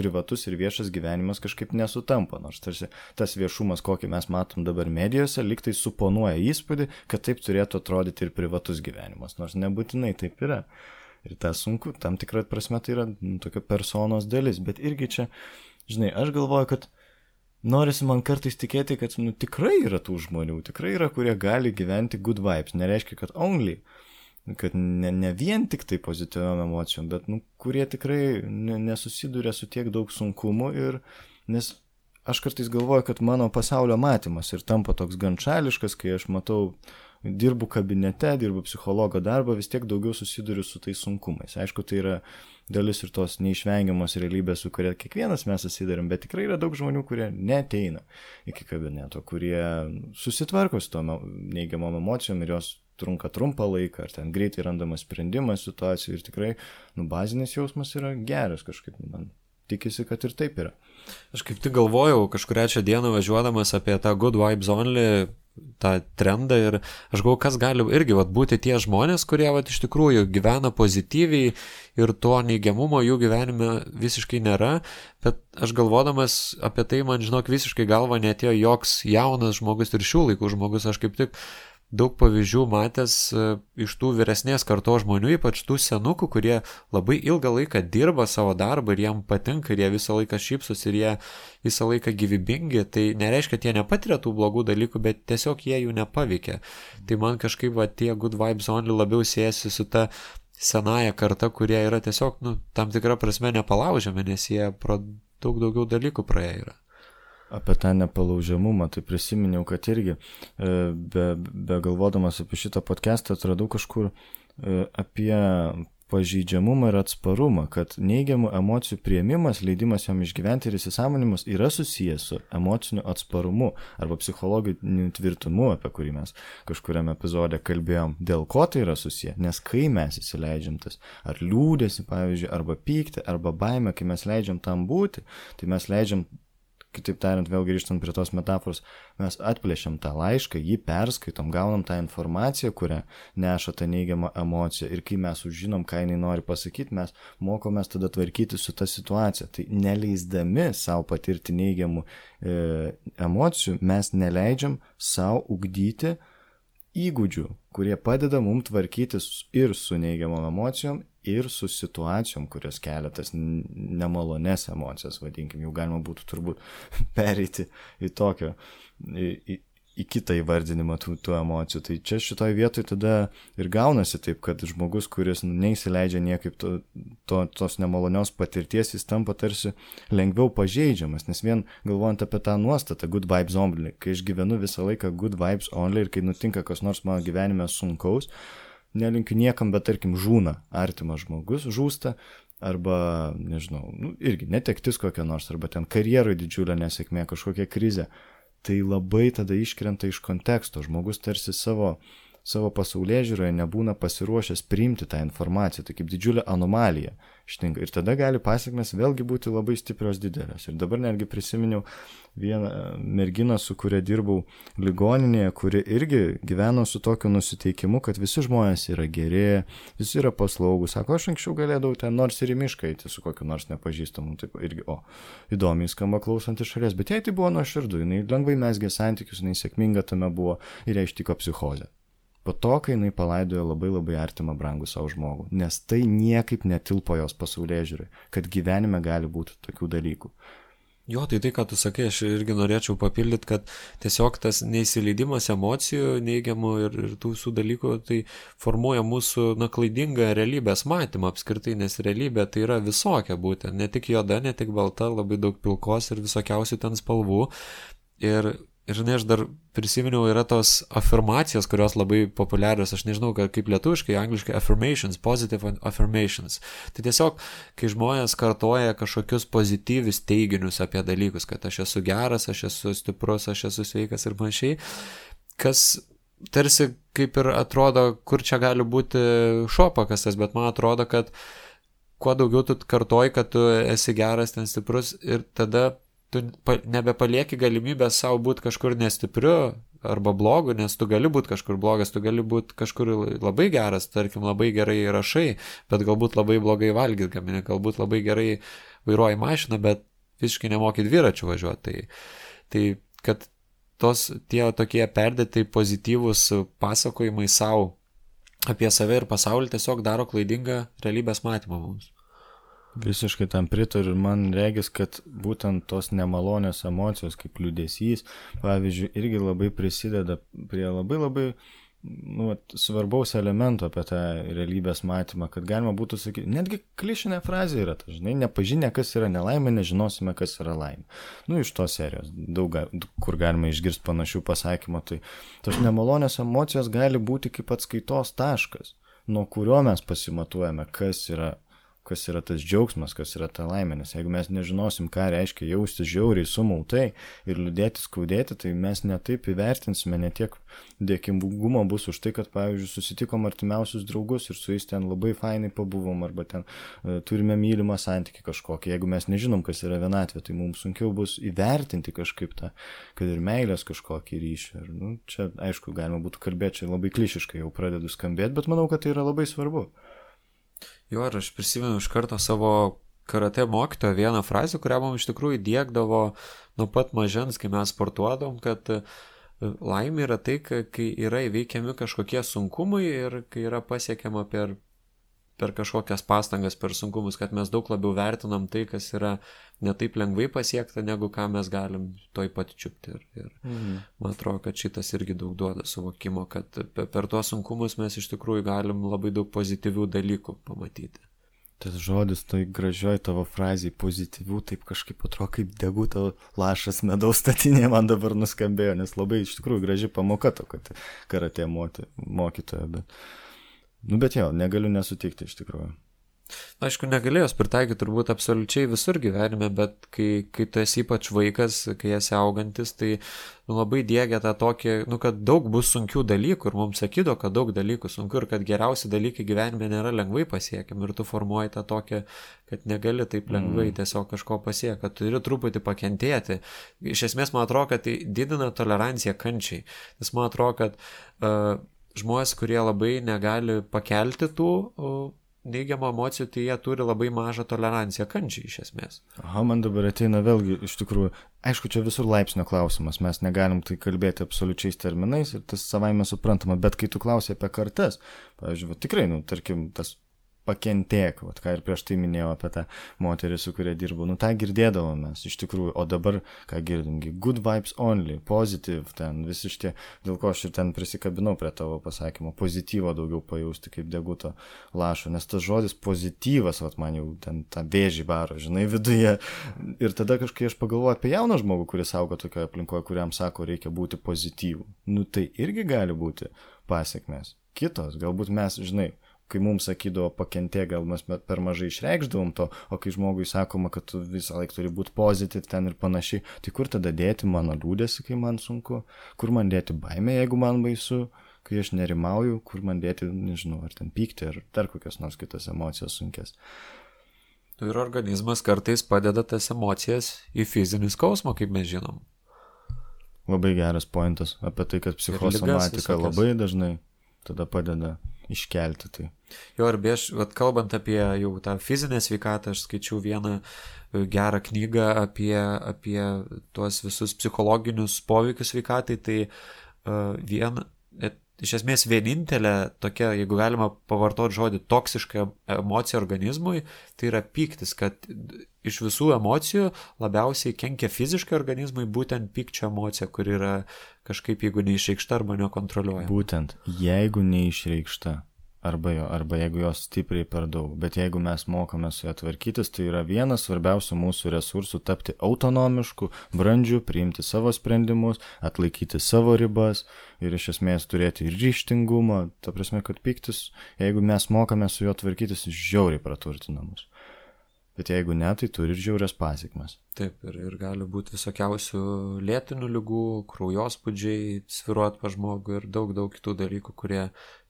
privatus ir viešas gyvenimas kažkaip nesutampa, nors tarsi tas viešumas, kokį mes matom dabar medijose, lyg tai suponuoja įspūdį, kad taip turėtų atrodyti ir privatus gyvenimas, nors nebūtinai taip yra. Ir tas sunku, tam tikrą prasme tai yra tokia personos dalis, bet irgi čia žinai, aš galvoju, kad norisi man kartais tikėti, kad tikrai yra tų žmonių, tikrai yra, kurie gali gyventi good vibes. Nereiškia, kad only, kad ne vien tik tai pozityviom emocijom, bet kurie tikrai nesusiduria su tiek daug sunkumų ir nes aš kartais galvoju, kad mano pasaulio matymas ir tampa toks gan šališkas, kai aš matau, dirbu kabinete, dirbu psichologo darbą, vis tiek daugiau susiduriu su tais sunkumais. Aišku, tai yra dalis ir tos neišvengiamos realybės, su kuria kiekvienas mes susidarim, bet tikrai yra daug žmonių, kurie neateina iki kabineto, kurie susitvarko su tom neigiamom emocijom ir jos trunka trumpą laiką, ar ten greitai randamas sprendimas situacijų ir tikrai, bazinis jausmas yra geras kažkaip, man tikisi, kad ir taip yra. Aš kaip tik galvojau kažkurią čia dieną važiuodamas apie tą good vibes only, tą trendą ir aš galvoju, kas gali irgi būti tie žmonės, kurie iš tikrųjų gyvena pozityviai ir to neigiamumo jų gyvenime visiškai nėra, bet aš galvodamas apie tai, man žinok, visiškai galva neatėjo joks jaunas žmogus ir šių laikų žmogus, aš kaip tik daug pavyzdžių matęs iš tų vyresnės kartos žmonių, ypač tų senukų, kurie labai ilgą laiką dirba savo darbą ir jiem patinka ir jie visą laiką šypsos ir jie visą laiką gyvybingi, tai nereiškia, kad jie nepatiria tų blogų dalykų, bet tiesiog jie jų nepaveikia. Tai man kažkaip tie good vibes only labiau siejasi su ta senąja karta, kurie yra tiesiog, tam tikrą prasme nepalaužiami, nes jie pro daug daugiau dalykų praėję yra. Apie tą nepalaužiamumą, tai prisiminiau, kad irgi be galvodamas apie šitą podcastą atradau kažkur apie pažeidžiamumą ir atsparumą, kad neigiamų emocijų priėmimas, leidimas jom išgyventi ir įsisąmoninimas yra susijęs su emociniu atsparumu arba psichologiniu tvirtumu, apie kurį mes kažkuriame epizode kalbėjom. Dėl ko tai yra susiję? Nes kai mes įsileidžiam tas ar liūdėsi, pavyzdžiui, arba pyktį, arba baimę, kai mes leidžiam tam būti, tai mes leidžiam, kitaip tariant, vėl grįžtant prie tos metaforos, mes atplėšiam tą laišką, jį perskaitom, gaunam tą informaciją, kurią neša tą neigiamą emociją ir kai mes sužinom, ką jinai nori pasakyti, mes mokomės tada tvarkyti su tą situaciją. Tai neleisdami savo patirti neigiamų emocijų, mes neleidžiam savo ugdyti įgūdžių, kurie padeda mums tvarkytis ir su neigiamom emocijom, ir su situacijom, kurios kelia tas nemalonės emocijas, vadinkim, jau galima būtų turbūt pereiti į tokio, į kitą įvardinimą tų emocijų. Tai čia šitoj vietoj tada ir gaunasi taip, kad žmogus, kuris neįsileidžia niekaip tos nemalonios patirties, jis tampa tarsi lengviau pažeidžiamas, nes vien galvojant apie tą nuostatą good vibes only, kai aš gyvenu visą laiką good vibes only ir kai nutinka kas nors mano gyvenime sunkaus, nelinkiu niekam, bet tarkim žūna artimas žmogus, žūsta, arba, nežinau, irgi netektis kokia nors, arba ten karjeroj didžiulė nesėkmė, kažkokia krizė, tai labai tada iškrenta iš konteksto, žmogus tarsi savo savo pasaulėžiūroje nebūna pasiruošęs priimti tą informaciją, tai kaip didžiulė anomalija ištinka. Ir tada gali pasekmės vėlgi būti labai stiprios didelės. Ir dabar netgi prisiminiau vieną merginą, su kuria dirbau ligoninėje, kuri irgi gyveno su tokiu nusiteikimu, kad visi žmonės yra geri, visi yra paslaugus. Sako, aš anksčiau galėdavau ten nors ir į mišką eiti su kokiu nors nepažįstamu. Taip irgi, įdomiai skamba klausant iš šalies. Bet jai tai buvo nuoširdu, jinai lengvai mezgė santykius, jinai sėkminga tame buvo ir jai ištiko psichozė. Po to, kai jinai palaidojo labai labai artimą brangų savo žmogų, nes tai niekaip netilpo jos pasaulėžiūrai, kad gyvenime gali būti tokių dalykų. Jo, tai, ką tu sakai, aš irgi norėčiau papildyti, kad tiesiog tas neįsileidimas emocijų, neigiamų ir tų visų dalykų, tai formuoja mūsų klaidingą realybės matymą apskritai, nes realybė tai yra visokia būtent, ne tik juoda, ne tik balta, labai daug pilkos ir visokiausių ten spalvų. Ir žinai, aš dar prisiminiau, yra tos afirmacijos, kurios labai populiarios, aš nežinau, kaip lietuviškai, angliškai affirmations, positive affirmations. Tai tiesiog, kai žmonės kartoja kažkokius pozityvius teiginius apie dalykus, kad aš esu geras, aš esu stiprus, aš esu sveikas ir panašiai, kas tarsi kaip ir atrodo, kur čia gali būti šuo pakastas, bet man atrodo, kad kuo daugiau tu kartoji, kad tu esi geras, ten stiprus ir tada tu nebepalieki galimybę savo būti kažkur nestipriu arba blogu, nes tu gali būti kažkur blogas, tu gali būti kažkur labai geras, tarkim, labai gerai rašai, bet galbūt labai blogai valgyt gamini, galbūt labai gerai vairuoji mašiną, bet visiškai nemoki dviračių važiuoti. Tai kad tie tokie perdėtai pozityvūs pasakojimai savo apie save ir pasaulį tiesiog daro klaidingą realybės matymą mums. Visiškai tam pritariu ir man regis, kad būtent tos nemalonios emocijos kaip liūdesys, pavyzdžiui, irgi labai prisideda prie labai svarbaus elemento apie tą realybės matymą, kad galima būtų sakyti, netgi klišinė frazė yra, žinai, nepažinę, kas yra nelaimė, nežinosime, kas yra laimė. Iš tos serijos, daug kur galima išgirsti panašių pasakymų, tai tos nemalonios emocijos gali būti kaip atskaitos taškas, nuo kurio mes pasimatuojame, kas yra tas džiaugsmas, kas yra ta laimė, nes jeigu mes nežinosim, ką reiškia jaustis žiauriai sumautai ir liūdėti, skaudėti, tai mes netaip įvertinsime, netiek dėkingumo bus už tai, kad, pavyzdžiui, susitikom artimiausius draugus ir su jais ten labai fainai pabuvom, arba ten turime mylimą santykį kažkokį. Jeigu mes nežinom, kas yra vienatvė, tai mums sunkiau bus įvertinti kažkaip tą, kad ir meilės kažkokį ryšį. Ir, čia, aišku, galima būtų kalbėti, čia labai klišiškai jau pradedu skambėti, bet manau, kad tai yra labai svarbu. Jo, ir aš prisimenu iš karto savo karate mokytojo vieną frazę, kurią mums iš tikrųjų diegdavo nuo pat mažens, kai mes sportuodom, kad laimė yra tai, kai yra įveikiami kažkokie sunkumai ir kai yra pasiekiama per kažkokias pastangas, per sunkumus, kad mes daug labiau vertinam tai, kas yra ne taip lengvai pasiekta, negu ką mes galim toj pat čiupti. Ir man atrodo, kad šitas irgi daug duoda suvokimo, kad per tuos sunkumus mes iš tikrųjų galim labai daug pozityvių dalykų pamatyti. Tas žodis, tai gražioj tavo frazėje pozityvių, taip kažkaip atrodo kaip deguto lašas medaus statinė man dabar nuskambėjo, nes labai iš tikrųjų graži pamoka to, kad karate mokytoja, bet jo, negaliu nesutikti iš tikrųjų. Aišku, negalėjos pritaikyti turbūt absoliučiai visur gyvenime, bet kai tu esi ypač vaikas, kai esi augantis, tai labai diegia tą tokį, kad daug bus sunkių dalykų ir mums sakydo, kad daug dalykų sunku ir kad geriausi dalykai gyvenime nėra lengvai pasiekiami ir tu formuoji tą tokį, kad negali taip lengvai tiesiog kažko pasiekti, kad turi truputį pakentėti. Iš esmės, man atrodo, kad tai didina toleranciją kančiai, nes man atrodo, kad žmonės, kurie labai negali pakelti tų neigiamų emocijų, tai jie turi labai mažą toleranciją kančiai iš esmės. Man dabar ateina vėlgi iš tikrųjų, aišku, čia visur laipsnio klausimas, mes negalim tai kalbėti absoliučiais terminais ir tas savaime suprantama, bet kai tu klausai apie kartas, pavyzdžiui, tikrai, tarkim, tas pakentėk, ką ir prieš tai minėjau apie tą moterį, su kuria dirbu, tą girdėdavom mes iš tikrųjų, o dabar, ką girdim, good vibes only, positive, ten visi šitie, dėl ko aš ir ten prisikabinau prie tavo pasakymo, pozityvo daugiau pajausti kaip deguto lašo, nes tas žodis pozityvas, man jau ten tą vėžį varo, žinai, viduje, ir tada kažkai aš pagalvoju apie jauną žmogų, kuris auga tokioje aplinkoje, kuriam sako, reikia būti pozityvų, tai irgi gali būti pasiekmės, kitos, galbūt mes, žinai, kai mums sakydavo pakentė, gal mes per mažai išreikšdavom to, o kai žmogui sakoma, kad tu visą laiką turi būti pozityv ten ir panašiai, tai kur tada dėti mano liūdėsi, kai man sunku, kur man dėti baimę, jeigu man baisu, kai aš nerimauju, kur man dėti, nežinau, ar ten pykti, ar dar kokios nors kitos emocijos sunkės. Ir organizmas kartais padeda tas emocijas į fizinį skausmą, kaip mes žinom. Labai geras pointas apie tai, kad psichosomatika labai dažnai tada padeda iškelti tai. Jo, ir kalbant apie jau tą fizinę sveikatą, aš skaičiau vieną gerą knygą apie tuos visus psichologinius poveikius sveikatai, tai iš esmės vienintelė tokia, jeigu galima pavartoti žodį, toksiška emocija organizmui, tai yra pyktis, kad iš visų emocijų labiausiai kenkia fiziškai organizmui būtent pykčio emocija, kur yra kažkaip, jeigu neišreikšta arba nekontroliuojama. Būtent, jeigu neišreikšta, arba jeigu jos stipriai per daug, bet jeigu mes mokame su ją tvarkytis, tai yra vienas svarbiausių mūsų resursų tapti autonomišku, brandžiu, priimti savo sprendimus, atlaikyti savo ribas ir iš esmės turėti ir ryžtingumą, ta prasme, kad pyktis, jeigu mes mokame su juo tvarkytis, žiauriai praturtina mus. Bet jeigu ne, tai turi ir žiaurias pasekmes. Taip, ir gali būti visokiausių lėtinių ligų, kraujospūdžiai, svyruot pa žmogų ir daug kitų dalykų, kurie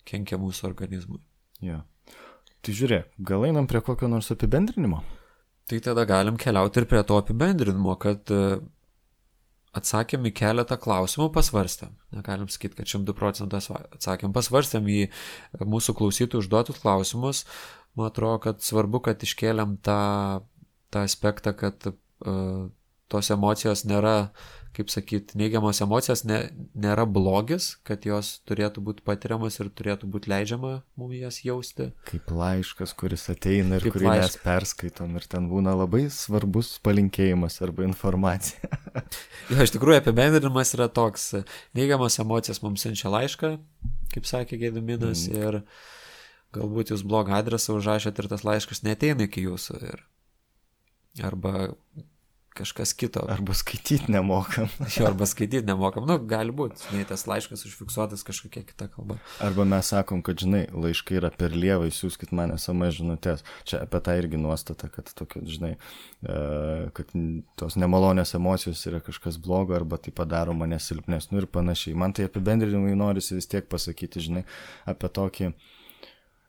kenkia mūsų organizmui. Jo. Tai žiūrėk, gal einam prie kokio nors apibendrinimo? Tai tada galim keliauti ir prie to apibendrinimo, kad atsakėm į keletą klausimų, pasvarstėm. Negalim sakyti, kad 100% atsakėm. Pasvarstėm į mūsų klausytojų užduotus klausimus. Man atrodo, kad svarbu, kad iškėlėm tą aspektą, kad tos emocijos nėra, kaip sakyti, neigiamos emocijos nėra blogis, kad jos turėtų būti patiriamas ir turėtų būti leidžiama mums jas jausti. Kaip laiškas, kuris ateina ir kurį mes perskaitom ir ten būna labai svarbus palinkėjimas arba informacija. Jo, iš tikrųjų apibendrinimas yra toks, neigiamos emocijos mums siunčia laišką, kaip sakė Gediminas, ir galbūt jūs blogą adresą užrašėt ir tas laiškas neateina iki jūsų, arba kažkas kito. Arba skaityti nemokam. Arba skaityti nemokam. Gali būti, žinai, tas laiškas užfiksuotas kažkokia kita kalba. Arba mes sakom, kad, žinai, laiškai yra per lievai, siųskit man SMS žinutės. Čia apie tą irgi nuostata, kad tokia, žinai, kad tos nemalonės emocijos yra kažkas blogo, arba tai padaro mane silpnesniu ir panašiai. Man tai apibendrinimai norisi vis tiek pasakyti, žinai, apie tokį,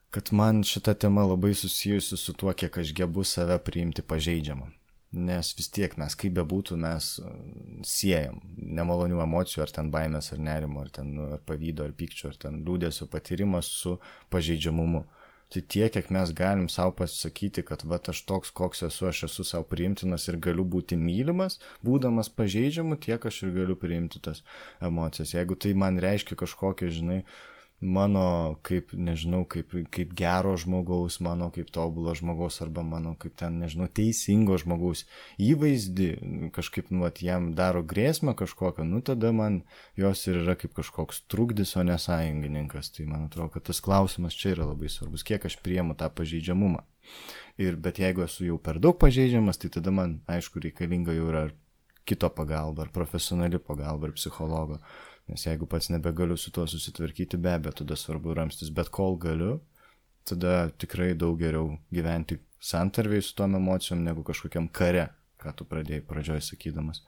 kad man šita tema labai susijusi su tuo, kiek aš gebu save priimti pažeidžiamą. Nes vis tiek mes, kaip bebūtų, mes siejam nemalonių emocijų, ar ten baimės, ar nerimo, ar ten ar pavydo, ar pykčio, ar ten liūdesio patyrimas su pažeidžiamumu. Tai tiek, kiek mes galim savo pasakyti, kad aš toks, koks esu, aš esu savo priimtinas ir galiu būti mylimas, būdamas pažeidžiamu, tiek aš ir galiu priimti tas emocijas. Jeigu tai man reiškia kažkokią, žinai, mano kaip, nežinau, kaip gero žmogaus, mano kaip tobulo žmogaus, arba mano kaip ten, nežinau, teisingo žmogaus įvaizdį, kažkaip, jam daro grėsmę kažkokią, tada man jos ir yra kaip kažkoks trukdis, o ne sąjungininkas. Tai man atrodo, kad tas klausimas čia yra labai svarbus, kiek aš priimu tą pažeidžiamumą. Bet jeigu esu jau per daug pažeidžiamas, tai tada man, aišku, reikalinga jau yra kito pagalba, ar profesionali pagalba, ar psichologo. Nes jeigu pats nebegaliu su tuo susitvarkyti, be abejo, tada svarbu ramstis, bet kol galiu, tada tikrai daug geriau gyventi santarviai su tom emocijom negu kažkokiam kare, ką tu pradėjai pradžioj sakydamas.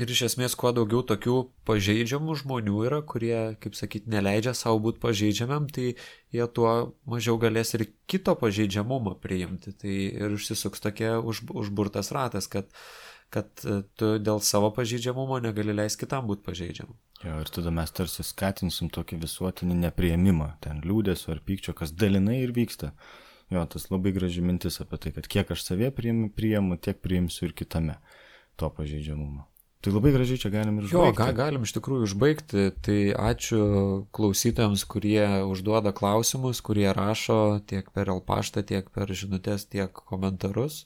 Ir iš esmės, kuo daugiau tokių pažeidžiamų žmonių yra, kurie, kaip sakyti, neleidžia savo būti pažeidžiamam, tai jie tuo mažiau galės ir kito pažeidžiamumą priimti. Tai ir užsisuks tokia užburtas ratas, kad tu dėl savo pažeidžiamumo negali leisti kitam būti pažeidžiamu. Jo, ir tada mes tarsi skatinsim tokį visuotinį nepriėmimą, ten liūdesio ar pykčio, kas dalinai ir vyksta. Jo, tas labai graži mintis apie tai, kad kiek aš savie priimu, tiek priimsiu ir kitame to pažeidžiamumo. Tai labai gražiai čia galim ir užbaigti. Jo, galim iš tikrųjų užbaigti. Tai ačiū klausytojams, kurie užduoda klausimus, kurie rašo tiek per paštą, tiek per žinutės, tiek komentarus.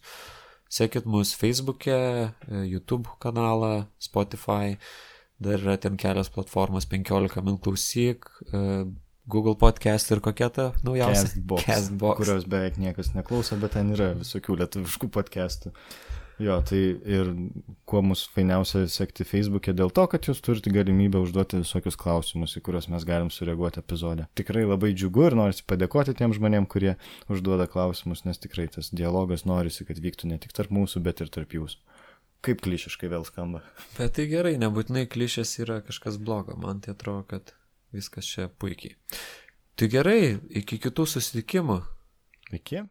Sekit mus Facebook'e, YouTube kanalą, Spotify, dar yra ten kelios platformos, 15 min klausyk, Google Podcast ir kokia ta naujausia? Castbox, kurios beveik niekas neklauso, bet ten yra visokių lietuviškų podcastų. Jo, tai ir kuo mūsų fainiausia sekti Facebook'e dėl to, kad jūs turite galimybę užduoti visokius klausimus, į kuriuos mes galim sureaguoti epizode. Tikrai labai džiugu ir norisi padėkoti tiem žmonėm, kurie užduoda klausimus, nes tikrai tas dialogas norisi, kad vyktų ne tik tarp mūsų, bet ir tarp jūsų. Kaip klišiškai vėl skamba. Bet tai gerai, nebūtinai klišės yra kažkas blogo, man tai atrodo, kad viskas čia puikiai. Tai gerai, iki kitų susitikimų. Iki.